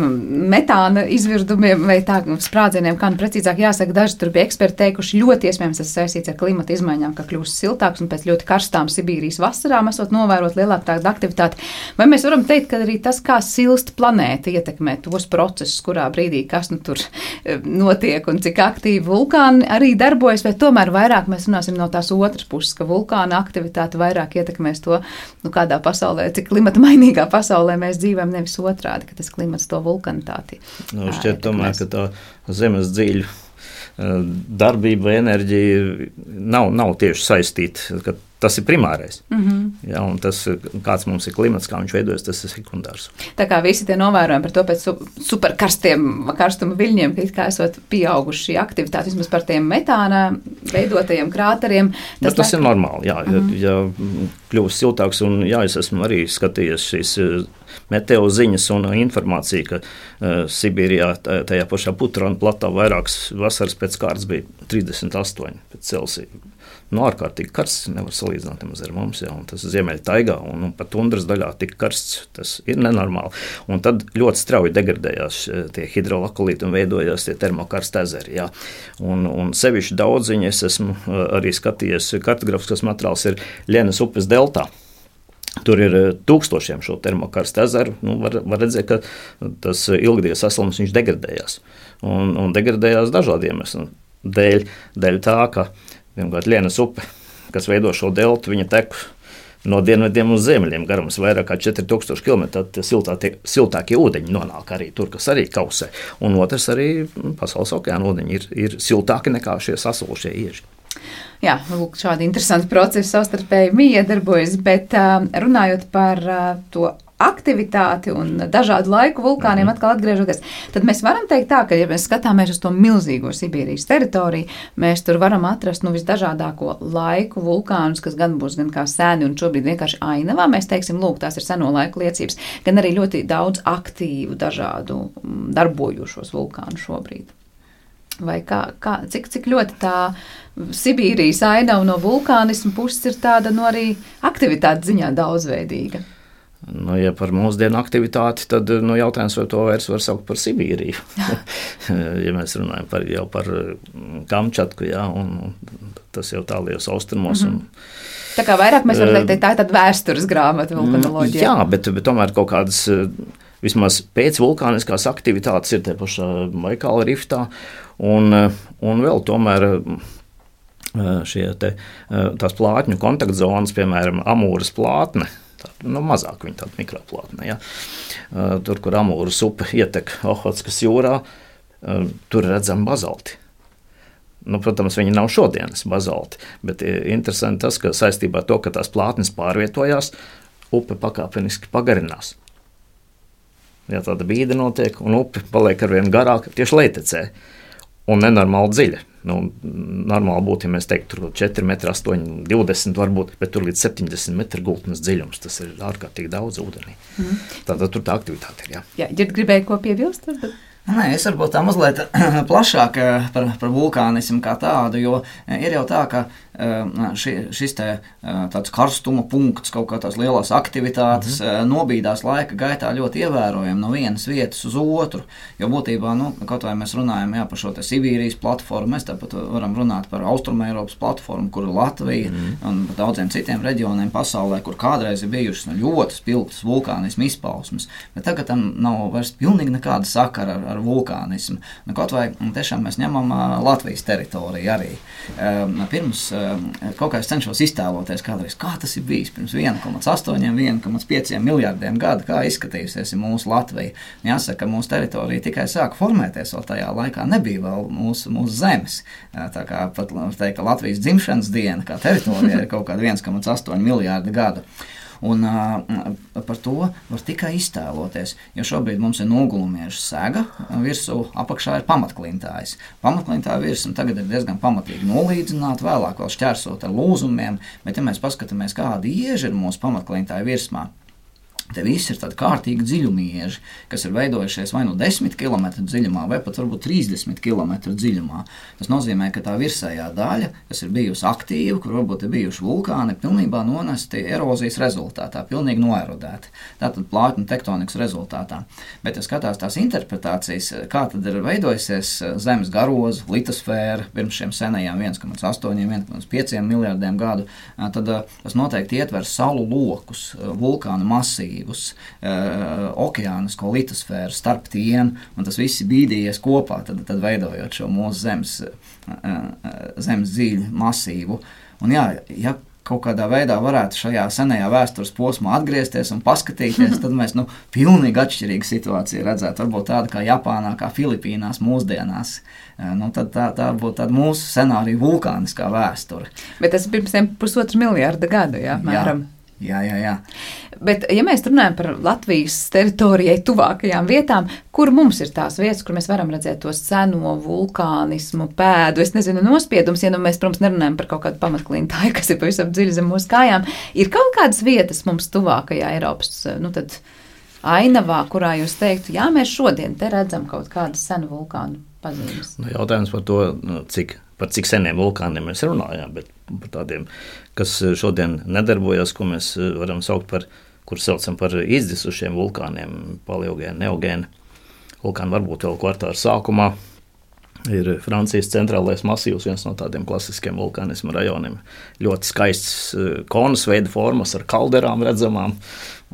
metāna izvirdumiem vai tā sprādzieniem, kā precīzāk jāsaka, daži tur bija eksperti teikuši, ļoti iespējams tas saistīts ar klimata izmaiņām, ka kļūst siltāks un pēc ļoti karstām Sibīrijas vasarām esot novērot lielāku tādu aktivitāti. Vai mēs varam teikt, ka arī tas, kā silst planēta, ietekmē tos procesus, kurā brīdī kas tur notiek un cik aktīvi vulkāni arī darbojas, vai tomēr vairāk mēs runāsim no tās otras puses, ka vulkāna aktivitāte vairāk ietekmēs to, kādā pasaulē, cik klimata mainīgā pasaulē mēs dzīvojam, nevis otrādi, ka tas klimats to vulkanitāti. Šķiet tomēr, ka tā zemes dziļu darbība vai enerģija nav tieši saistīta, ka tas ir primārais. Jā, un tas, kāds mums ir klimats, kā viņš veidojas, tas ir sekundārs. Tā kā visi tie novērojumi par to pēc superkarstiem karstuma viļņiem, ka it kā esot pieauguši šī aktivitāte, vismaz par tiem metāna veidotajiem krāteriem. Tas ir normāli, jā. Ja kļūst siltāks, un jā, es esmu arī skatījies šīs meteo ziņas un informāciju, ka Sibīrijā tajā pašā Putrona platā vairākas vasaras pēc kārtas bija 38 pēc Celsija. Ārkārtīgi karsts, nevar salīdzināt nemaz ar mums, jā, un tas ziemeļa taigā un pat tundras daļā tik karsts, tas ir nenormāli. Un tad ļoti strauji degradējās tie hidrolakolīti un veidojās tie termokarsta ezeri, jā. Un sevišķi daudziņi es esmu arī skatījies, kartografiskas materiāls ir Ļenas upes deltā. Tur ir tūkstošiem šo termokarsta ezeru. Var redzēt, ka tas ilgdienas saslums viņš degradējās. Un degradējās dažādiem iemesliem. Dēļ tā, ka vienkārši Ļenas upe, kas veido šo deltu, viņa tek no dienvidiem uz ziemeļiem, garums vairāk kā 4000 km, tad siltākie ūdeņi nonāk arī tur, kas arī kausē. Un otrs arī pasaules okeāna ūdeņi ir siltāki nekā šie sasulušie ieži. Jā, lūk, šādi interesanti procesi savstarpēji miedarbojas, bet runājot par to aktivitāti un dažādu laiku vulkāniem atkal atgriežoties, tad mēs varam teikt tā, ka, ja mēs skatāmies uz to milzīgo Sibīrijas teritoriju, mēs tur varam atrast visdažādāko laiku vulkānus, kas gan būs gan kā sēni un šobrīd vienkārši ainavā. Mēs teiksim, lūk, tās ir seno laiku liecības, gan arī ļoti daudz aktīvu dažādu darbojošos vulkānu šobrīd. Vai cik ļoti tā Sibīrijas ainava no vulkānismu puses ir tāda arī aktivitātes ziņā daudzveidīga? Ja par mūsdienu aktivitāti, tad jautājums, vai to vairs var saukt par Sibīriju. Ja mēs runājam par Kamčatku, jā, un tas jau tālajos austrumos. Tā kā vairāk mēs varam teikt, tā ir tāda vēstures grāmata vulkanoloģija. Jā, bet tomēr kaut kādas vismaz pēcvulkāniskās aktivitātes ir te pašā Baikāla riftā, un vēl tomēr tās plātņu kontaktzonas, piemēram, Amūras plātne, mazāk viņa tāda mikroplātne. Ja. Tur, kur Amūras upe ietek Ohotskas jūrā, tur redzam bazalti. Protams, viņi nav šodienas bazalti, bet interesanti tas, ka saistībā ar to, ka tās plātnes pārvietojās, upe pakāpeniski pagarinās. Ja tāda bīde notiek, un upe paliek arvien garāk tieši lejtecē un nenormāli dziļa. Normāli būtu, ja mēs teiktu, tur 4 metri, 8, 20 varbūt, bet tur līdz 70 metru gultnes dziļums. Tas ir ārkārtīgi daudz ūdenī. Tātad tur tā aktivitāte ir, jā. Jā, Ģird, gribēju ko piebilst? Nē, es varbūt tā mazliet plašāk par vulkānismu kā tādu, jo ir jau tā, ka šis tāds karstuma punkts, kaut kā tās lielās aktivitātes nobīdās laika gaitā ļoti ievērojami no vienas vietas uz otru, jo būtībā, kaut vai mēs runājam par šo te Sibīrijas platformu, mēs tāpat varam runāt par Austrumeiropas platformu, kur Latvija un daudziem citiem reģioniem pasaulē, kur kādreiz ir bijušas ļoti spilgtas vulkānismu izpausmes, bet tagad tam nav vairs pilnīgi nekāda sakara ar vulkānismu. Kaut vai tiešām mēs ņemam Latvijas teritoriju arī. Pirms kaut kā es cenšos iztēloties kādreiz, kā tas ir bijis pirms 1,8–1,5 miljardiem gadu, kā izskatījusies mūsu Latvija. Jāsaka, mūsu teritorija tikai sāka formēties, vēl tajā laikā nebija vēl mūsu zemes. Tā kā pat teikt, ka Latvijas dzimšanas diena kā teritorija ir kaut kāda 1,8 miljārdi gadu. Un par to var tikai iztēloties, jo šobrīd mums ir nogulumieža sega, virsū apakšā ir pamatklintājas. Pamatklintāja virsma tagad ir diezgan pamatīgi nolīdzināta, vēlāk vēl šķērsot ar lūzumiem, bet ja mēs paskatāmies, kādi ieži ir mūsu pamatklintāja virsmā, te viss ir tādi kārtīgi dziļumieži, kas ir veidojušies vai 10 km dziļumā, vai pat varbūt 30 km dziļumā. Tas nozīmē, ka tā virsējā daļa, kas ir bijusi aktīva, kur varbūt ir bijuši vulkāni, pilnībā nonesti erozijas rezultātā, pilnīgi noerodēti. Tātad plātņu tektonikas rezultātā. Bet, ja skatās tās interpretācijas, kā tad ir veidojusies zemes garoza, litosfēra, pirms šiem senajiem 1,8–1,5 miljardiem gadu, tad tas noteikti ietver saulu lokus, vulkānu masīvu, okeānisko litosfēru starp tiem, un tas viss bīdījies kopā, tad veidojot šo mūsu zemes dziļu masīvu. Un ja kaut kādā veidā varētu šajā senajā vēstures posmā atgriezties un paskatīties, tad mēs pilnīgi atšķirīgu situāciju redzētu. Varbūt tāda kā Japānā, kā Filipīnās mūsdienās. Tad tā būtu tāda mūsu scenārija vulkāniskā vēsture. Bet tas ir pirms 1,5 miljārda gadu, mēram. Jā. Bet, ja mēs runājam par Latvijas teritorijai tuvākajām vietām, kur mums ir tās vietas, kur mēs varam redzēt to seno vulkānismu pēdu, es nezinu, nospiedums, ja mēs, protams, nerunājam par kaut kādu pamatklintāju, kas ir pavisam dziļi zem mūsu kājām, ir kaut kādas vietas mums tuvākajā Eiropas, tad ainavā, kurā jūs teiktu, mēs šodien te redzam kaut kādas senu vulkānu pazīmes. Jautājums par to, par cik seniem vulkāniem mēs runājām, bet par tādiem, kas šodien nedarbojas, ko mēs varam saukt par, kur saucam par izdisušiem vulkāniem, paleogēni, neogēni. Vulkāni varbūt vēl kvartāra sākumā ir Francijas centrālais masīvs, viens no tādiem klasiskiem vulkānismu rajoniem. Ļoti skaists konus veida formas ar kalderām redzamām,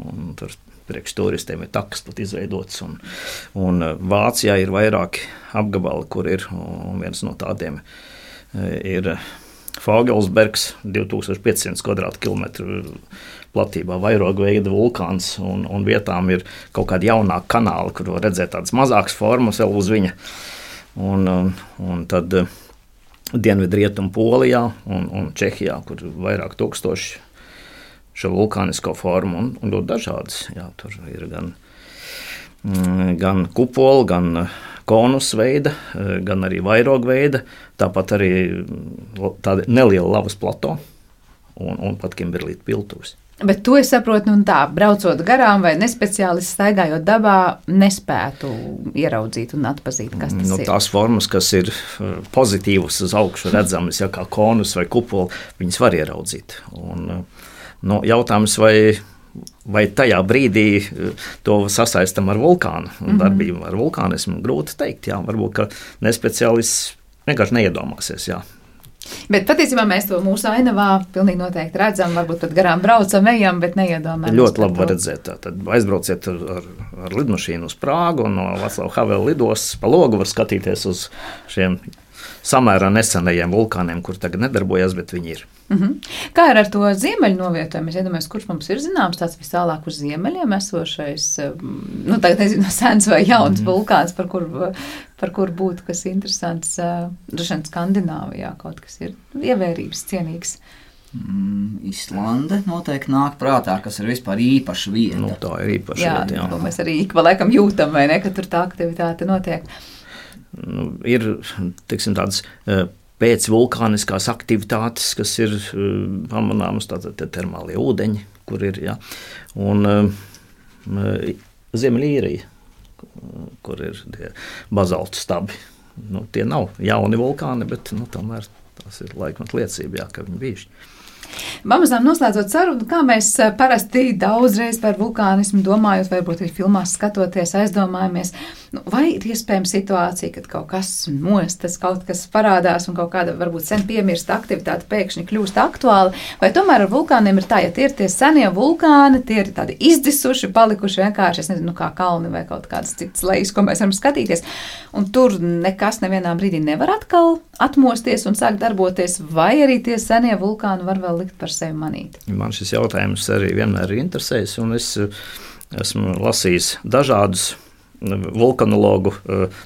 un tur priekš turistiem ir takas pat izveidots, un Vācijā ir vairāki apgabali, kur ir, un viens no tādiem ir Fogelsbergs, 2500 kvadrātkilometru platībā vairoga veida vulkāns, un vietām ir kaut kādi jaunāki kanāli, kur var redzēt tādas mazākas formas vēl uz viņa. Un tad Dienvidrietumu Polijā un Čehijā, kur vairāk tūkstoši šo vulkānisko formu un ļoti dažādas. Jā, tur ir gan kupola, gan konus veida, gan arī vairoga veida, tāpat arī tāda neliela lavas plato un pat kimberlīta piltuvs. Bet to es saprotu, braucot garām vai nespeciālisti staigājot dabā, nespētu ieraudzīt un atpazīt, kas tas ir. Tās formas, kas ir pozitīvas uz augšu redzamas, kā konus vai kupola, viņas var ieraudzīt. Jautājums, vai tajā brīdī to sasaistam ar vulkānu darbību, ar vulkānismu, grūti teikt. Jā, varbūt, ka nespeciālists vienkārši neiedomāsies. Jā. Bet patiesībā mēs to mūsu ainavā pilnīgi noteikti redzam, varbūt pat garām braucam, ejam, bet neiedomājamies. Ļoti labi var redzēt. Tad aizbrauciet ar lidmašīnu uz Prāgu un no Vaclava Havela lidostas pa logu var skatīties uz šiem samērā nesenajiem vulkāniem, kur tagad nedarbojas, bet viņi ir. Kā ir ar to ziemeļu novietojumu? Es iedomājos, kurš mums ir zināms tāds vistālāk uz ziemeļiem esošais, tagad nezinu, sens vai jauns vulkāns, par kur būtu kas interesants, droši vien Skandināvijā kaut kas ir ievērības cienīgs. Islande noteikti nāk prātā, kas ir vispār īpaša vieta. Tā ir īpaša vieta, jā. To mēs arī ik pa laikam jūtam, vai ne, ka tur tā aktivitāte notiek. Ir, teiksim, tādas pēcvulkāniskās aktivitātes, kas ir pamanāmas, tātad termālie ūdeņi, kur ir, jā. Un Ziemeļīrija, kur ir tie bazaltu stabi. Tie nav jauni vulkāni, bet tomēr Tas ir laikmat liecība, jā, ka viņi bijuši. Pamazām noslēdzot sarunu, kā mēs parasti daudzreiz par vulkānismu domājot, varbūt arī filmās skatoties, aizdomājamies, vai ir iespējama situācija, kad kaut kas mostas, kaut kas parādās un kaut kāda varbūt sen piemirsta aktivitāte pēkšņi kļūst aktuāla, vai tomēr ar vulkāniem ir tā, ja tie ir tie senie vulkāni, tie ir tādi izdisuši, palikuši vienkārši, es nezinu, kā kalni vai kaut kādas citas lejas, ko mēs varam skatīties, un tur nekas nevienā brīdī nevar atkal atmosties un sākt darboties, vai arī tie senie vulkāni var vēl likt par sevi manīt. Man šis jautājums arī vienmēr ir interesējis, un es esmu lasījis dažādus vulkanologu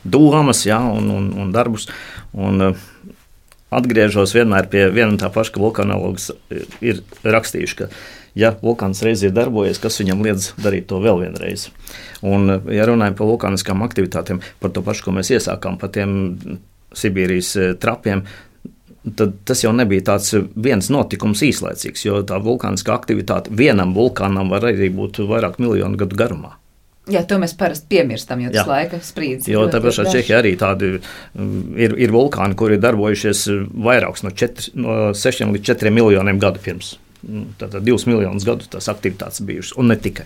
domas, jā, un darbus, un atgriežos vienmēr pie viena un tā paša, ka vulkanologs ir rakstījuši, ka ja vulkāns reiz ir darbojies, kas viņam liedz darīt to vēl vienreiz. Un, ja runājam par vulkāniskām aktivitātēm, par to pašu, ko mēs iesākām, par tiem Sibīrijas trapiem, tad tas jau nebija tāds viens notikums īslaicīgs, jo tā vulkāniskā aktivitāte vienam vulkānam var arī būt vairāk miljonu gadu garumā. Jā, to mēs parasti piemirstam, jo tas laika sprīdis. Jo tā pašā Čehijā arī tādi ir vulkāni, kuri darbojušies vairāks no 6 līdz 4 miljoniem gadu pirms. Tātad 2 miljonus gadu tās aktivitātes bijušas, un ne tikai.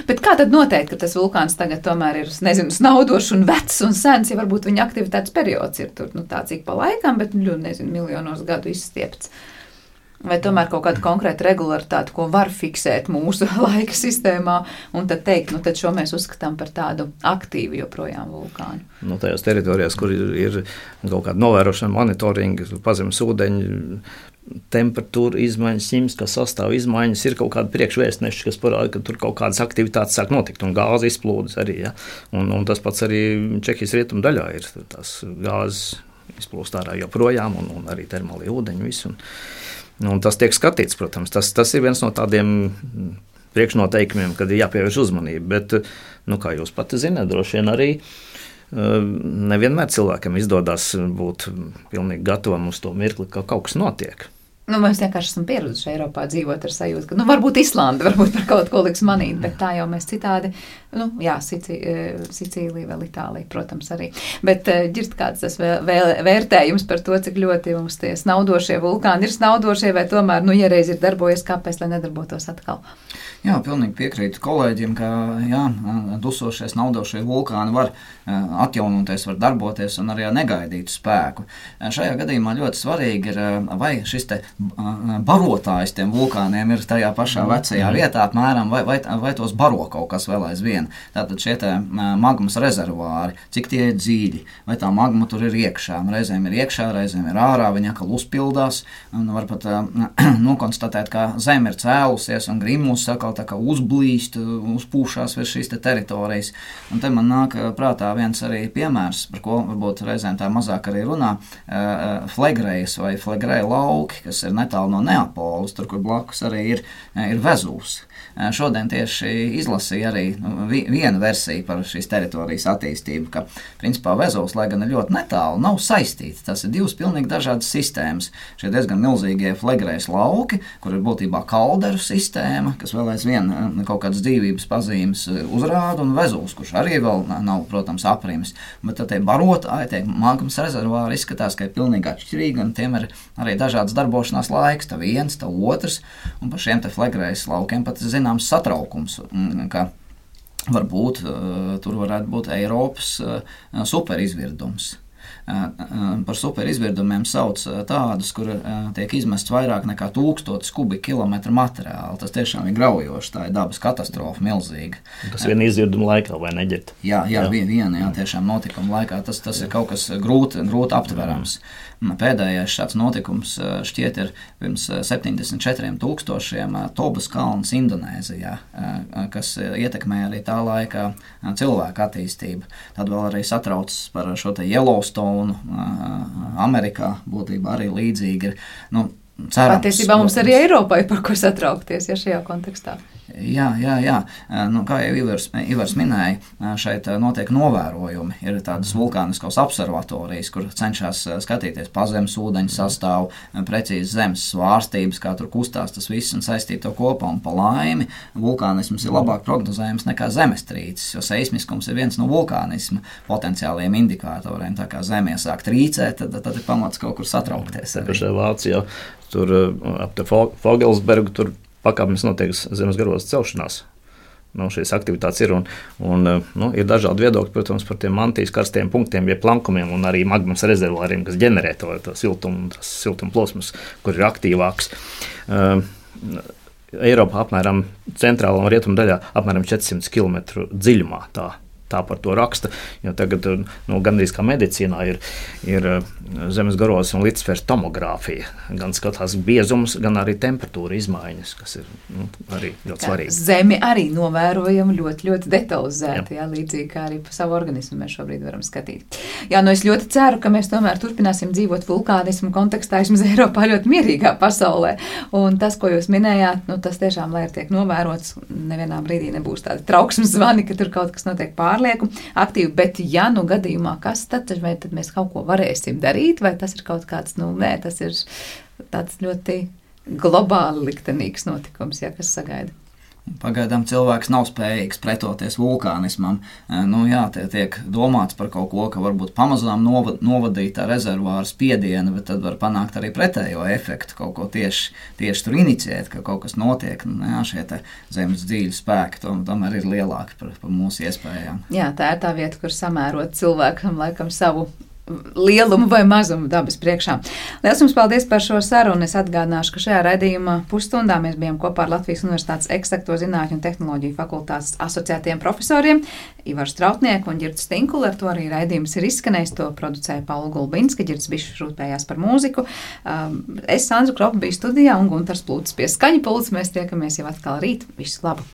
Bet kā tad noteikt, ka tas vulkāns tagad tomēr ir, nezinu, snaudošs un vecs un sens, ja varbūt viņa aktivitātes periods ir tur, tā cik pa laikam, bet, nezinu, miljonos gadu izstiepts? Vai tomēr kaut kāda konkrēta regularitāte, ko var fiksēt mūsu laika sistēmā, un tad teikt, tad šo mēs uzskatām par tādu aktīvu joprojām vulkānu? Tajās teritorijās, kur ir kaut kāda novērošana, monitoringa, pazemes ūdeņi, temperatūra izmaiņas, ķīmiskā sastāva izmaiņas, ir kaut kādi priekšvēstneši, kas parāda, ka tur kaut kādas aktivitātes sāk notikt, un gāze izplūdes arī, ja? Un tas pats arī Čehijas rietumu daļā ir tās gāzes izplūst ārā joprojām, un arī termālie ūdeņi visu. Un tas tiek skatīts, protams, tas ir viens no tādiem priekšnoteikumiem, kad ir jāpievērš uzmanība, bet, kā jūs pati zināt, droši vien arī nevienmēr cilvēkam izdodas būt pilnīgi gatavam uz to mirkli, ka kaut kas notiek. Mēs vienkārši esam pieraduši Eiropā dzīvot ar sajūtu, ka varbūt Islanda varbūt par kaut ko liks manīt, bet tā jau mēs citādi, Sicīlija, vēl Itālija, protams, arī. Bet ģirst kāds tas vērtējums par to, cik ļoti mums tie snaudošie vulkāni ir snaudošie, vai tomēr, ja reiz ir darbojies, kāpēc, lai nedarbotos atkal? Jā, pilnīgi piekrītu kolēģiem, ka dusošie, snaudošie vulkāni var atjaunoties, var darboties un arī negaidītu spēku. Šajā gadījumā ļoti svarīgi ir, vai šis te barotājs tiem vulkāniem ir tajā pašā vecajā vietā apmēram, vai tos baro kaut kas vēl aizvien. Tātad šie te magmas rezervāri, cik tie ir dziļi, vai tā magma tur ir iekšā. Reizēm ir iekšā, reizēm ir ārā, viņa atkal uzpildās, un var pat nokonstatēt, ka zeme ir cēlusies un grimus atkal tā kā uzblīst, uzpūšās virs šīs te teritorijas. Un te man nāk prātā viens arī piemērs, par ko varbūt reizēm tā mazāk arī runā, Flegrejas vai Flegreja lauki, kas ir netālu no Neapolis, tur, kur blakus arī ir Vezuvs. Šodien tieši izlasīja arī viena versija par šīs teritorijas attīstību, ka principā Vezuvs, lai gan ir ļoti netālu, nav saistīti. Tas ir divas pilnīgi dažādas sistēmas. Šie diezgan milzīgie Flegrejas lauki, kur ir būtībā kalderu sistēma, kas vēl aizvien kaut kādas dzīvības pazīmes uzrāda, un Vezuvs, kurš arī vēl nav, protams, aprimis. Bet tad tie barotāji, tie magmas rezervāri izskatās, ka ir pilnīgi atšķirīgi, un tiem ir arī dažādas darbošanās laiks, tā viens, tā otrs, un par šiem te Flegrejas laukiem pat zināms satraukums, ka varbūt tur varētu būt Eiropas superizvirdums. Par superizvirdumiem sauc tādus, kur tiek izmests vairāk nekā 1000 kubikkilometru materiālu. Tas tiešām ir graujoši, tā ir dabas katastrofa milzīga. Tas viena izvirduma laikā, vai neģert? Jā, tiešām notikuma laikā. Tas ir kaut kas grūti aptverams. Pēdējais šāds notikums šķiet ir pirms 74 000 Tobas kalns Indonēzijā, kas ietekmēja arī tā laikā cilvēku attīstību. Tad vēl arī satraucas par šo te Yellowstone Amerikā, būtībā arī līdzīgi ir. Cerams, patiesībā mums arī Eiropā ir par ko satraukties, šajā kontekstā. Jā. Nu, kā jau Ivars minēja, šeit notiek novērojumi. Ir tādas vulkāniskās observatorijas, kur cenšas skatīties pazemes ūdeņu sastāvu, precīzi zemes svārstības, kā tur kustās tas viss un saistīt to kopā. Un pa laimi vulkānisms ir labāk prognozējams nekā zemestrīces, jo seismiskums ir viens no vulkānisma potenciāliem indikatoriem. Tā kā zeme iesāk trīcēt, tad ir pamats kaut kur satraukties. Šajā Vācijā tur ap te Fogelsbergu tur pakāpienas notiek zemes garos celšanās. Šīs aktivitātes ir un ir dažādi viedokļi, protams, par tiem mantijas karstiem punktiem, jeb plankumiem un arī magmas rezervuāriem, kas ģenerē to siltumu plosmas, kur ir aktīvāks. Eiropā apmēram centrālā un rietumu daļā apmēram 400 km dziļumā tā par to raksta, jo tagad gandrīz kā medicīnā ir zemes garos un līdzsvers tomogrāfija. Gan skatās biezums, gan arī temperatūra izmaiņas, kas ir arī ļoti svarīgi. Zemi arī novērojam ļoti, ļoti detalizēti, līdzīgi kā arī pa savu organismu mēs šobrīd varam skatīt. Es ļoti ceru, ka mēs tomēr turpināsim dzīvot vulkānismu kontekstā, vismaz Eiropā ļoti mierīgā pasaulē. Un tas, ko jūs minējāt, tas tiešām, lai tiek novērots, nevienā brīdī nebūs tādi trauksmes zvani, ka tur kaut kas notiek pārlieku aktīvi, bet gadījumā kas tad, vai tad mēs kaut ko varēsim darīt, vai tas ir kaut kāds, tas ir tāds ļoti globāli liktenīgs notikums, kas sagaida. Pagaidām cilvēks nav spējīgs pretoties vulkānismam. Tiek domāts par kaut ko, ka varbūt pamazām novadīt tā rezervāra spiedienu, bet tad var panākt arī pretējo efektu, kaut ko tieši tur iniciēt, ka kaut kas notiek. Šie zemes dzīļu spēki tomēr ir lielāki par mūsu iespējām. Jā, tā ir tā vieta, kur samērot cilvēkam laikam savu lielumu vai mazumu dabas priekšā. Liels jums paldies par šo sarunu. Es atgādināšu, ka šajā raidījumā pusstundā mēs bijām kopā ar Latvijas Universitātes Eksakto zinātņu un tehnoloģiju fakultātes asociētiem profesoriem Ivaru Strautnieku un Ģirtu Stinkuli. Ar to arī raidījums ir izskanējis. To producēja Paula Gulbinska, Ģirts Bišs rūpējās par mūziku. Es, Sandra Kropa, biju studijā un Guntars Plūtis pie skaņa pults. Mēs tiekamies jau atkal rīt. Visu labu!